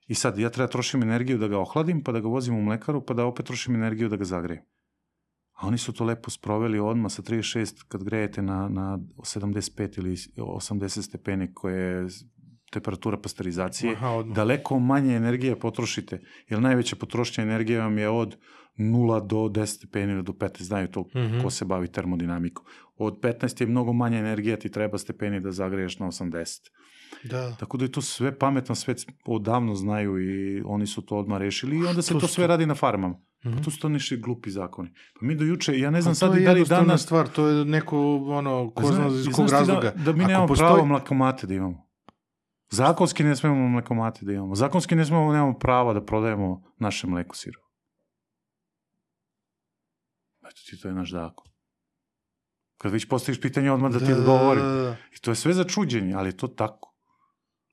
I sad ja treba trošim energiju da ga ohladim, pa da ga vozim u mlekaru, pa da opet trošim energiju da ga zagrejem. A oni su to lepo sproveli odmah sa trideset šest kad grejete na, na sedamdeset pet ili osamdeset stepeni koje je temperatura pasterizacije. Aha, daleko manje energije potrošite, jer najveća potrošnja energije vam je od nula do deset stepeni do petnaest, znaju to mm-hmm. ko se bavi termodinamikom. Od petnaest je mnogo manje energije, ti treba stepeni da zagreješ na osamdeset. Da. Tako da je to sve pametno, sve odavno znaju i oni su to odmah rešili i onda se to, to sve radi na farmama. Mm-hmm. Pa to su to niši glupi zakoni. Pa mi do juče, ja ne znam sad i da li danas... To je jednostavna stvar, to je neko, ono, ko zna iz kog razloga. Da, da mi nemamo postoji... pravo mlekomate da imamo. Zakonski ne smemo mlekomate da imamo. Zakonski ne smemo, nemamo prava da prodajemo naše mleko sirovo. Eto ti, to je naš zakon. Kad već postaviš pitanje, odmah da ti da, odgovorim. Da, da, da. I to je sve za čuđenje, ali je to tako.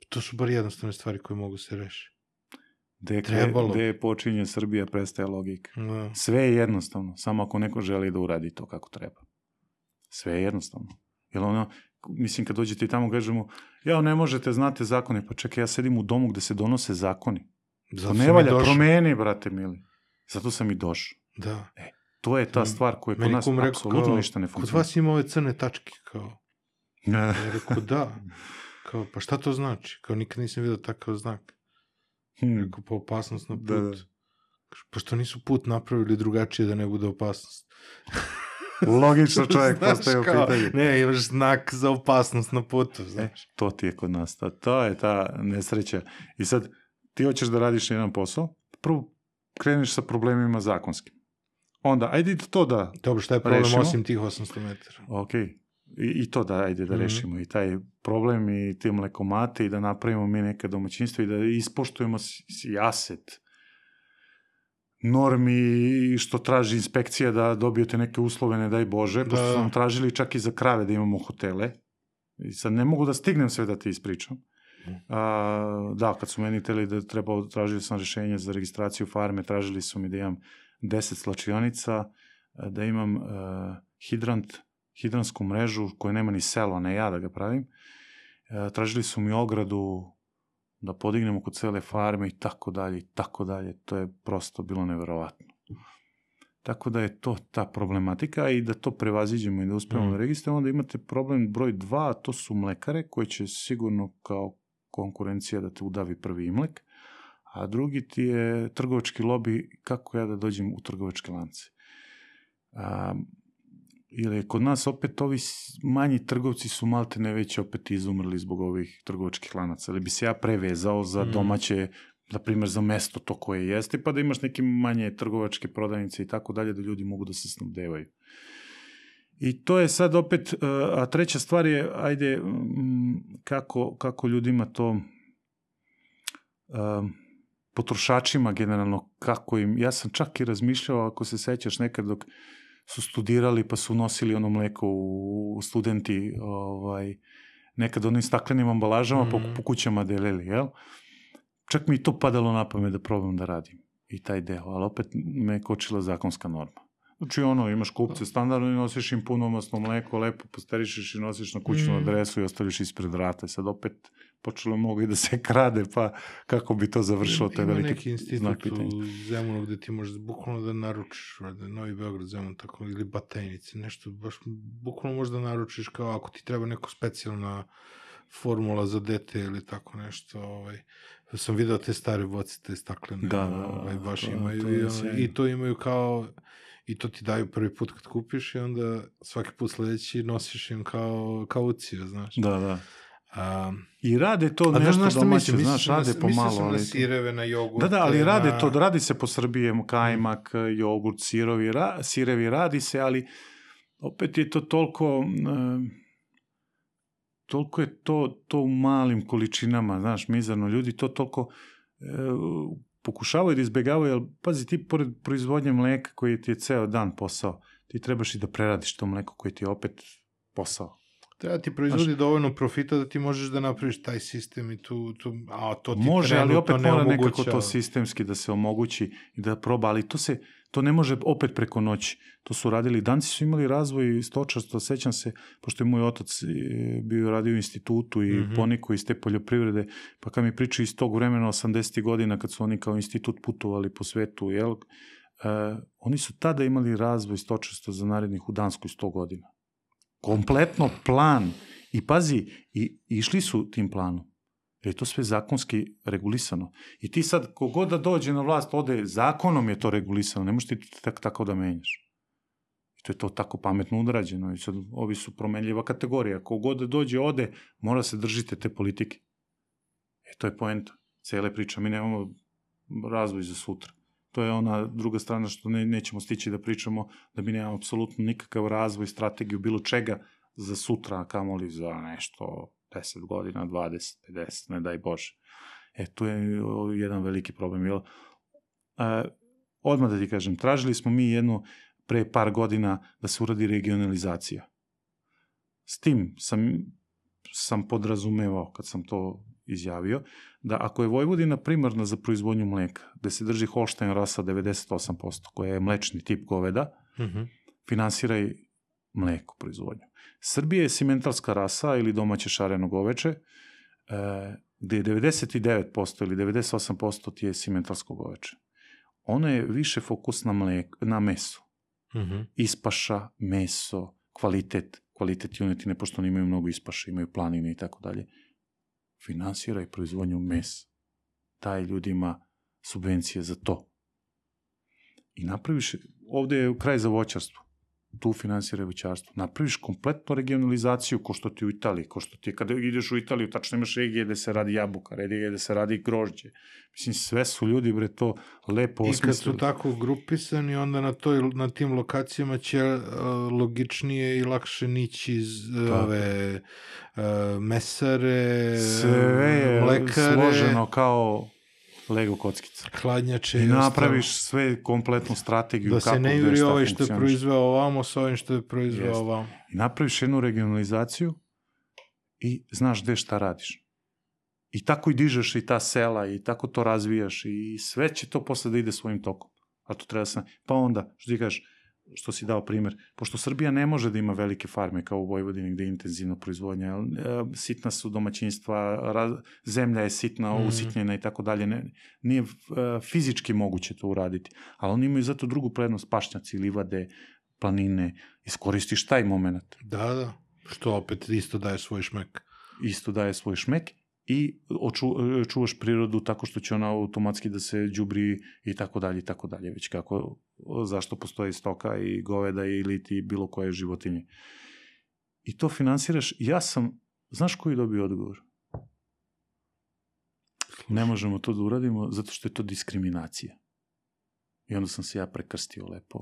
To su bar jednostavne stvari koje mogu se rešiti. Gde počinje Srbija, prestaje logika. Da. Sve je jednostavno, samo ako neko želi da uradi to kako treba. Sve je jednostavno. Jer ono, mislim, kad dođete i tamo kažemo, ja, ne možete, znate zakone, pa čekaj, ja sedim u domu gde se donose zakoni. Zato to ne valja, promeni, brate mili. Zato sam i došao. Da. E, to je ta stvar koja kod nas apsolutno ništa ne funkcionira. Kod vas ima ove crne tačke, kao. Ja rekao, da. Kao, pa šta to znači? Kao, nikad nisam vidio takav znak. Hmm. Rekao, pa opasnost na put. Da, da. Pa što nisu put napravili drugačije da ne bude opasnost? Logično čovjek Znaš postaje u kao, pitanju. Ne, imaš znak za opasnost na putu, E, znaš. to ti je kod nas. To, to je ta nesreća. I sad, ti hoćeš da radiš jedan posao, prvo kreneš sa problemima zakonskim. Onda, ajde to da Dobro, šta je problem rešimo. osim tih osamsto metara? Ok. I, I to da, ajde da Mhm. rešimo. I taj problem i te mlekomate i da napravimo mi neke domaćinstvo i da ispoštujemo sijaset normi što traži inspekcija da dobijete neke uslove, ne daj Bože, pošto Da. su nam tražili čak i za krave da imamo hotele. I sad ne mogu da stignem sve da ti ispričam. A, da, kad su meni teli da treba, tražili sam rešenje za registraciju farme, tražili su mi da imam deset slačionica, da imam uh, hidrant, hidransku mrežu koja nema ni selo, ne ja da ga pravim. Uh, tražili su mi ogradu da podignemo kod cele farme i tako dalje, i tako dalje. To je prosto bilo neverovatno. Tako da je to ta problematika i da to prevaziđemo i da uspemo Mm. da registrujemo, onda imate problem broj dva, a to su mlekare koji će sigurno kao konkurencija da te udavi prvi imlek, a drugi ti je trgovački lobi, kako ja da dođem u trgovačke lance. A, ili kod nas opet ovi manji trgovci su malte ne već opet izumrli zbog ovih trgovačkih lanaca, ali bi se ja prevezao za Mm. domaće, na primjer za mesto to koje jeste, pa da imaš neke manje trgovačke prodavnice i tako dalje, da ljudi mogu da se snabdevaju. I to je sad opet, a treća stvar je, ajde, kako, kako ljudima to, potrošačima generalno, kako im, ja sam čak i razmišljao, ako se sećaš nekad dok su studirali pa su nosili ono mleko u studenti, ovaj, nekad onim staklenim ambalažama mm. po, po kućama delili, jel? Čak mi i to padalo na pamet da probam da radim i taj deo, ali opet me kočila zakonska norma. Znači ono, imaš kupce standardno i nosiš im punomasno mleko, lepo posterišeš i nosiš na kućnu mm. adresu i ostaviš ispred vrata. Sad opet počelo mnogo i da se krade, pa kako bi to završilo, to je veliki znak pitanja. Ima neki institut u Zemunu gde ti možeš bukvalno da naručiš, da Novi Beograd, Zemun, tako, ili Batajnice, nešto, baš bukvalno možeš da naručiš kao ako ti treba neko specijalna formula za dete ili tako nešto, ovaj, sam video te stare boce, te staklene, da, ovaj, baš to, imaju to i, ono, i to imaju kao, i to ti daju prvi put kad kupiš i onda svaki put sledeći nosiš im kao kauciju, znaš. Da, da. Um, I rade to nešto znaš domaće, mislim, znaš, rade na, pomalo. Mislio sam ali na sireve, na jogurte. Da, da, ali rade na... to, radi se po Srbiji, kajmak, jogurt, sirovi, ra, sirevi, radi se, ali opet je to toliko, uh, toliko je to, to u malim količinama, znaš, mizarno, ljudi to toliko uh, pokušavaju da izbegavaju, ali pazi, ti pored proizvodnje mleka koji ti je ceo dan posao, ti trebaš i da preradiš to mleko koji ti je opet posao. Treba ti proizvodi znaš, dovoljno profita da ti možeš da napraviš taj sistem i tu, tu a to ti može, ali opet ne mora omoguća. Nekako to sistemski da se omogući i da proba, ali to se, to ne može opet preko noći. To su radili, Danci su imali razvoj stočarstva, sećam se, pošto je moj otac bio radio u institutu i mm-hmm. ponikao iz te poljoprivrede, pa kad mi pričaju iz tog vremena osamdesetih godina, kad su oni kao institut putovali po svetu, jel, uh, oni su tada imali razvoj stočarstva za narednih u Danskoj sto godina. Kompletno plan. I pazi, i, išli su tim planom. Jer je to sve zakonski regulisano. I ti sad, kogod da dođe na vlast, ode, zakonom je to regulisano. Ne možeš ti tak, tako da menjaš. I to je to tako pametno udrađeno. I sad, ovi su promenljiva kategorija. Kogod da dođe, ode, mora se držite te politike. E, to je poenta. Cele priča. Mi nemamo razvoj za sutra. To je ona druga strana što ne, nećemo stići da pričamo, da mi nemamo apsolutno nikakav razvoj, strategiju, bilo čega za sutra, a kamoli za nešto deset godina, dvadeset, pedeset, ne daj Bože. E, tu je jedan veliki problem. Jel? E, odmah da ti kažem, tražili smo mi jednu pre par godina da se uradi regionalizacija. S tim sam, sam podrazumevao, kad sam to izjavio, da ako je Vojvodina primarna za proizvodnju mleka, gde se drži Holštajn rasa devedeset osam posto, koja je mlečni tip goveda, mm-hmm. finansiraj mleko proizvodnju. Srbija je simentalska rasa ili domaće šareno goveče, e, gde je devedeset devet posto ili devedeset osam posto ti je simentalsko goveče. Ono je više fokus na, mleko, na meso. Mm-hmm. Ispaša, meso, kvalitet, kvalitet junetine, pošto oni imaju mnogo ispaša, imaju planine i tako dalje. Finansiraj proizvodnju mesa. Daj ljudima subvencije za to. I napraviš, ovde je kraj za voćarstvo. tu finansiraj voćarstvo. Napraviš kompletnu regionalizaciju ko što ti u Italiji, ko što ti kada ideš u Italiju, tačno imaš regije gde se radi jabuka, regije gde se radi grožđe. Mislim, sve su ljudi, bre, to lepo osmislili. I kad su tako grupisani, onda na, toj, na tim lokacijama će uh, logičnije i lakše nići iz uh, ove uh, mesare, sve je mlekare, složeno kao Lego kockica. Hladnjače i napraviš ostalo. Sve kompletnu strategiju. Da se ne juri ovaj što je proizveo ovamo sa ovim što je proizveo Jest. ovamo. I napraviš jednu regionalizaciju i znaš gde šta radiš. I tako i dižeš i ta sela i tako to razvijaš i sve će to posle da ide svojim tokom. A to treba sam... Pa onda, što ti kažeš, što si dao primer, pošto Srbija ne može da ima velike farme kao u Vojvodini gde je intenzivna proizvodnja, sitna su domaćinstva, raz, zemlja je sitna, mm. usitnjena i tako dalje, ne, nije uh, fizički moguće to uraditi, ali oni imaju zato drugu prednost, pašnjaci, livade, planine, iskoristiš taj moment. Da, da, što opet isto daje svoj šmek. Isto daje svoj šmek i oču, čuvaš prirodu tako što će ona automatski da se đubri i tako dalje i tako dalje, već kako, zašto postoji stoka i goveda ili ti bilo koje životinje. I to finansiraš, ja sam, znaš koji dobio odgovor? Ne možemo to da uradimo zato što je to diskriminacija. I onda sam se ja prekrstio lepo.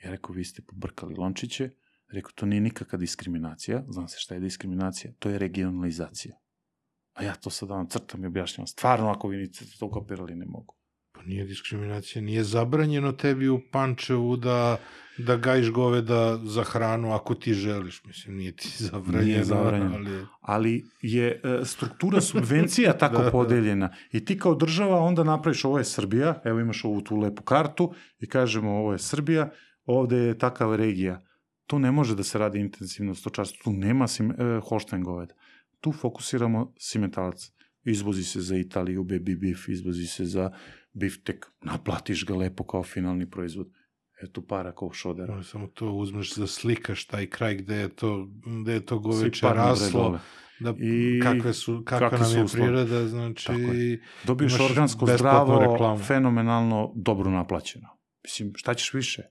Ja rekao, vi ste pobrkali lončiće, rekao, to nije nikakva diskriminacija, znam se šta je diskriminacija, to je regionalizacija. A ja to sad vam crtam i objašnjam. Stvarno, ako vi niste to kopirali, ne mogu. Pa nije diskriminacija. Nije zabranjeno tebi u Pančevu da, da gajiš goveda za hranu ako ti želiš. Mislim, nije ti zabranjeno. Nije zabranjeno. Ali, ali je e, struktura subvencija tako da, podeljena. I ti kao država onda napraviš, ovo je Srbija, evo imaš ovu tu lepu kartu i kažemo ovo je Srbija, ovde je takav regija. Tu ne može da se radi intenzivno stočarstvo. Tu nema sim, e, Holštajn goveda. Tu fokusiramo simentalac. Izvozi se za Italiju, baby beef, izvozi se za biftek, naplatiš ga lepo kao finalni proizvod. Eto para kao šodera. No, samo to uzmeš da slikaš taj kraj gde je to, gde je to goveče raslo, da, I kakve su, kakva kakve nam je priroda, znači... Je. Dobiješ organsko zdravo, reklamu. Fenomenalno, dobro naplaćeno. Mislim, šta ćeš više?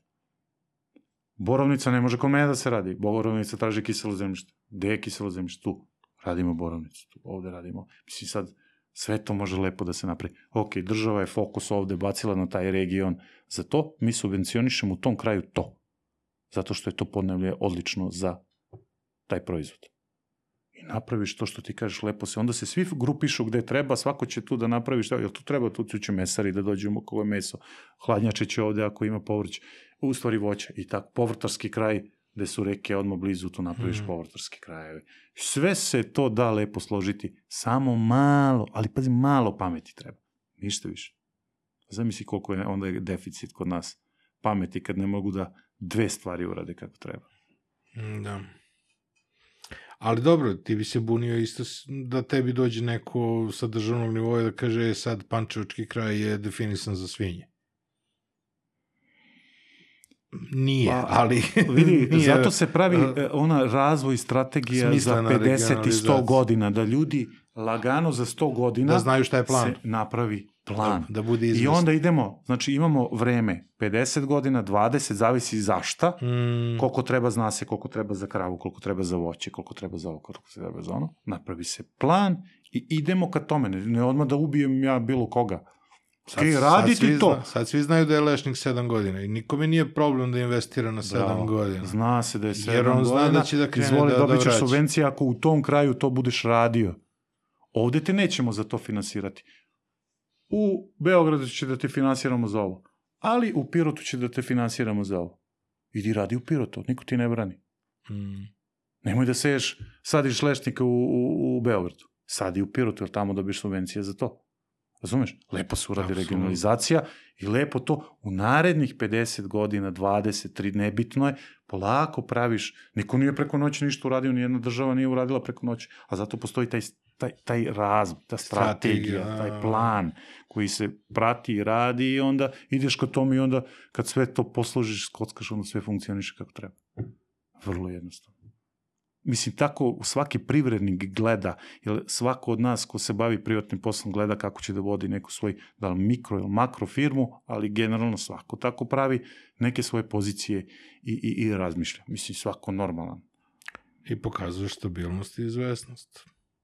Borovnica ne može kod mene da se radi. Borovnica traži kiselo zemljište. Gde je kiselo zemljište? Tu. Radimo borovnicu, tu, ovde radimo. Mislim, sad sve to može lepo da se napravi. Ok, država je fokus ovde bacila na taj region. Za to mi subvencionišemo u tom kraju to. Zato što je to podneblje odlično za taj proizvod. I napraviš to što ti kažeš lepo se. Onda se svi grupišu gde treba, svako će tu da napravi šta. Jel tu treba, tu će mesari da dođemo kako je meso. Hladnjače će ovde ako ima povrće. U stvari voća. I tako, povrtarski kraj gde su reke odmah blizu, tu napraviš mm. povrtarski krajevi. Sve se to da lepo složiti, samo malo, ali pazi, malo pameti treba. Ništa više. Zamisli koliko je onda je deficit kod nas pameti kad ne mogu da dve stvari urade kako treba. Da. Ali dobro, ti bi se bunio isto da tebi dođe neko sa državnog nivoja da kaže sad Pančevački kraj je definisan za svinje. Nije, pa, ali... Vidi, nije, zato se pravi ona razvoj strategija za pedeset i sto godina, da ljudi lagano za sto godina da znaju šta je plan. Se napravi plan. Da, da bude izvesno. I onda idemo, znači imamo vreme, pedeset godina, dvadeset, zavisi zašta, mm. koliko treba, zna se koliko treba za kravu, koliko treba za voće, koliko treba za ovo, koliko treba za ono. Napravi se plan i idemo ka tome. Ne, ne odmah da ubijem ja bilo koga. Sad, okay, raditi sad svi, to. Zna, sad svi znaju da je lešnik sedam godina i nikome nije problem da investira na sedam godina. Zna se da je sedam godina. Jer on zna godina, da će da krene izvoli, da, dobit ćeš da vraća. subvencije ako u tom kraju to budeš radio. Ovde te nećemo za to finansirati. U Beogradu će da te finansiramo za ovo. Ali u Pirotu će da te finansiramo za ovo. Idi radi u Pirotu, niko ti ne brani. Mm. Nemoj da seješ, sadiš lešnika u, u, u Beogradu. Sadi u Pirotu, jer tamo dobiš subvencije za to. Razumeš? Lepo se uradi Absolutno. Regionalizacija i lepo to u narednih pedeset godina, dvadeset, tri, nebitno je, polako praviš, niko nije preko noći ništa uradio, nijedna država nije uradila preko noći, a zato postoji taj, taj, taj razum, ta strategija, strategija, taj plan koji se prati i radi i onda ideš ka tome i onda kad sve to posložiš, skockaš, onda sve funkcioniše kako treba. Vrlo jednostavno. mislim, tako svaki privrednik gleda, jer svako od nas ko se bavi privatnim poslom gleda kako će da vodi neku svoj, da li mikro ili makro firmu, ali generalno svako tako pravi neke svoje pozicije i, i, i razmišlja. Mislim, svako normalan. I pokazuje stabilnost i izvesnost.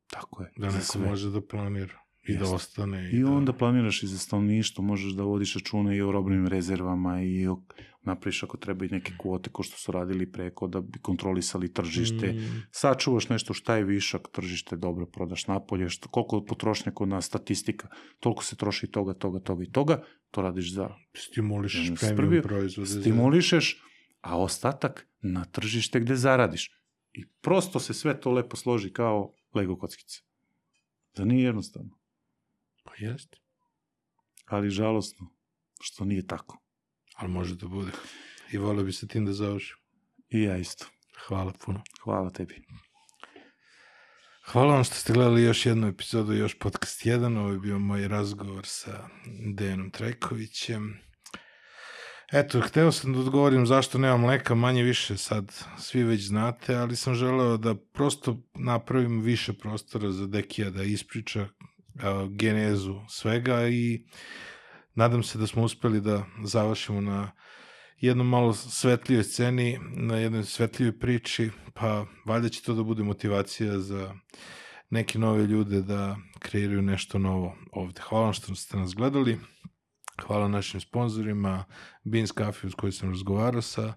Tako je. Da neko može da planira i Jeste. da ostane. I, I onda da... planiraš i za stanovništvo, možeš da vodiš račune i o robnim rezervama i o, napraviš ako treba i neke kvote ko što su radili preko da bi kontrolisali tržište. Mm. Sačuvaš nešto šta je višak, tržište dobro prodaš napolje, što, koliko potrošnja kod nas, statistika, toliko se troši toga, toga, toga i toga, to radiš za... Stimulišeš premium proizvode. Stimulišeš, a ostatak na tržište gde zaradiš. I prosto se sve to lepo složi kao Lego kockice. Da nije jednostavno. Pa jeste. Ali žalosno što nije tako. Ali može da bude. I volio bi se tim da završim. I ja isto. Hvala puno. Hvala tebi. Hvala vam što ste gledali još jednu epizodu, još podcast jedan. Ovo je bio moj razgovor sa Dejanom Trajkovićem. Eto, hteo sam da odgovorim zašto nema mleka, manje više sad svi već znate, ali sam želeo da prosto napravim više prostora za Dekija da ispriča uh, genezu svega i nadam se da smo uspeli da završimo na jednom malo svetlijoj sceni, na jednoj svetlijoj priči, pa valjda će to da bude motivacija za neke nove ljude da kreiraju nešto novo ovde. Hvala vam što ste nas gledali. Hvala našim sponzorima, Beans Coffee uz koji sam razgovarao sa,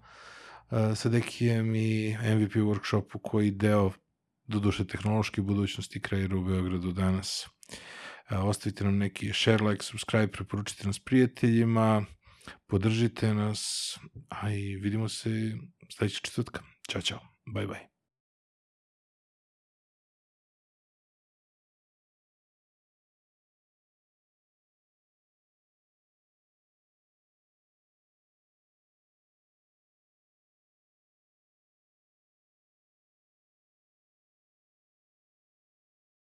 sa Dekijem i M V P workshopu koji deo doduše tehnološke budućnosti kreira u Beogradu danas. Ostavite nam neki share, like, subscribe, preporučite nas prijateljima, podržite nas, a i vidimo se sledećeg četvrtka. Ćao, čao, bye bye.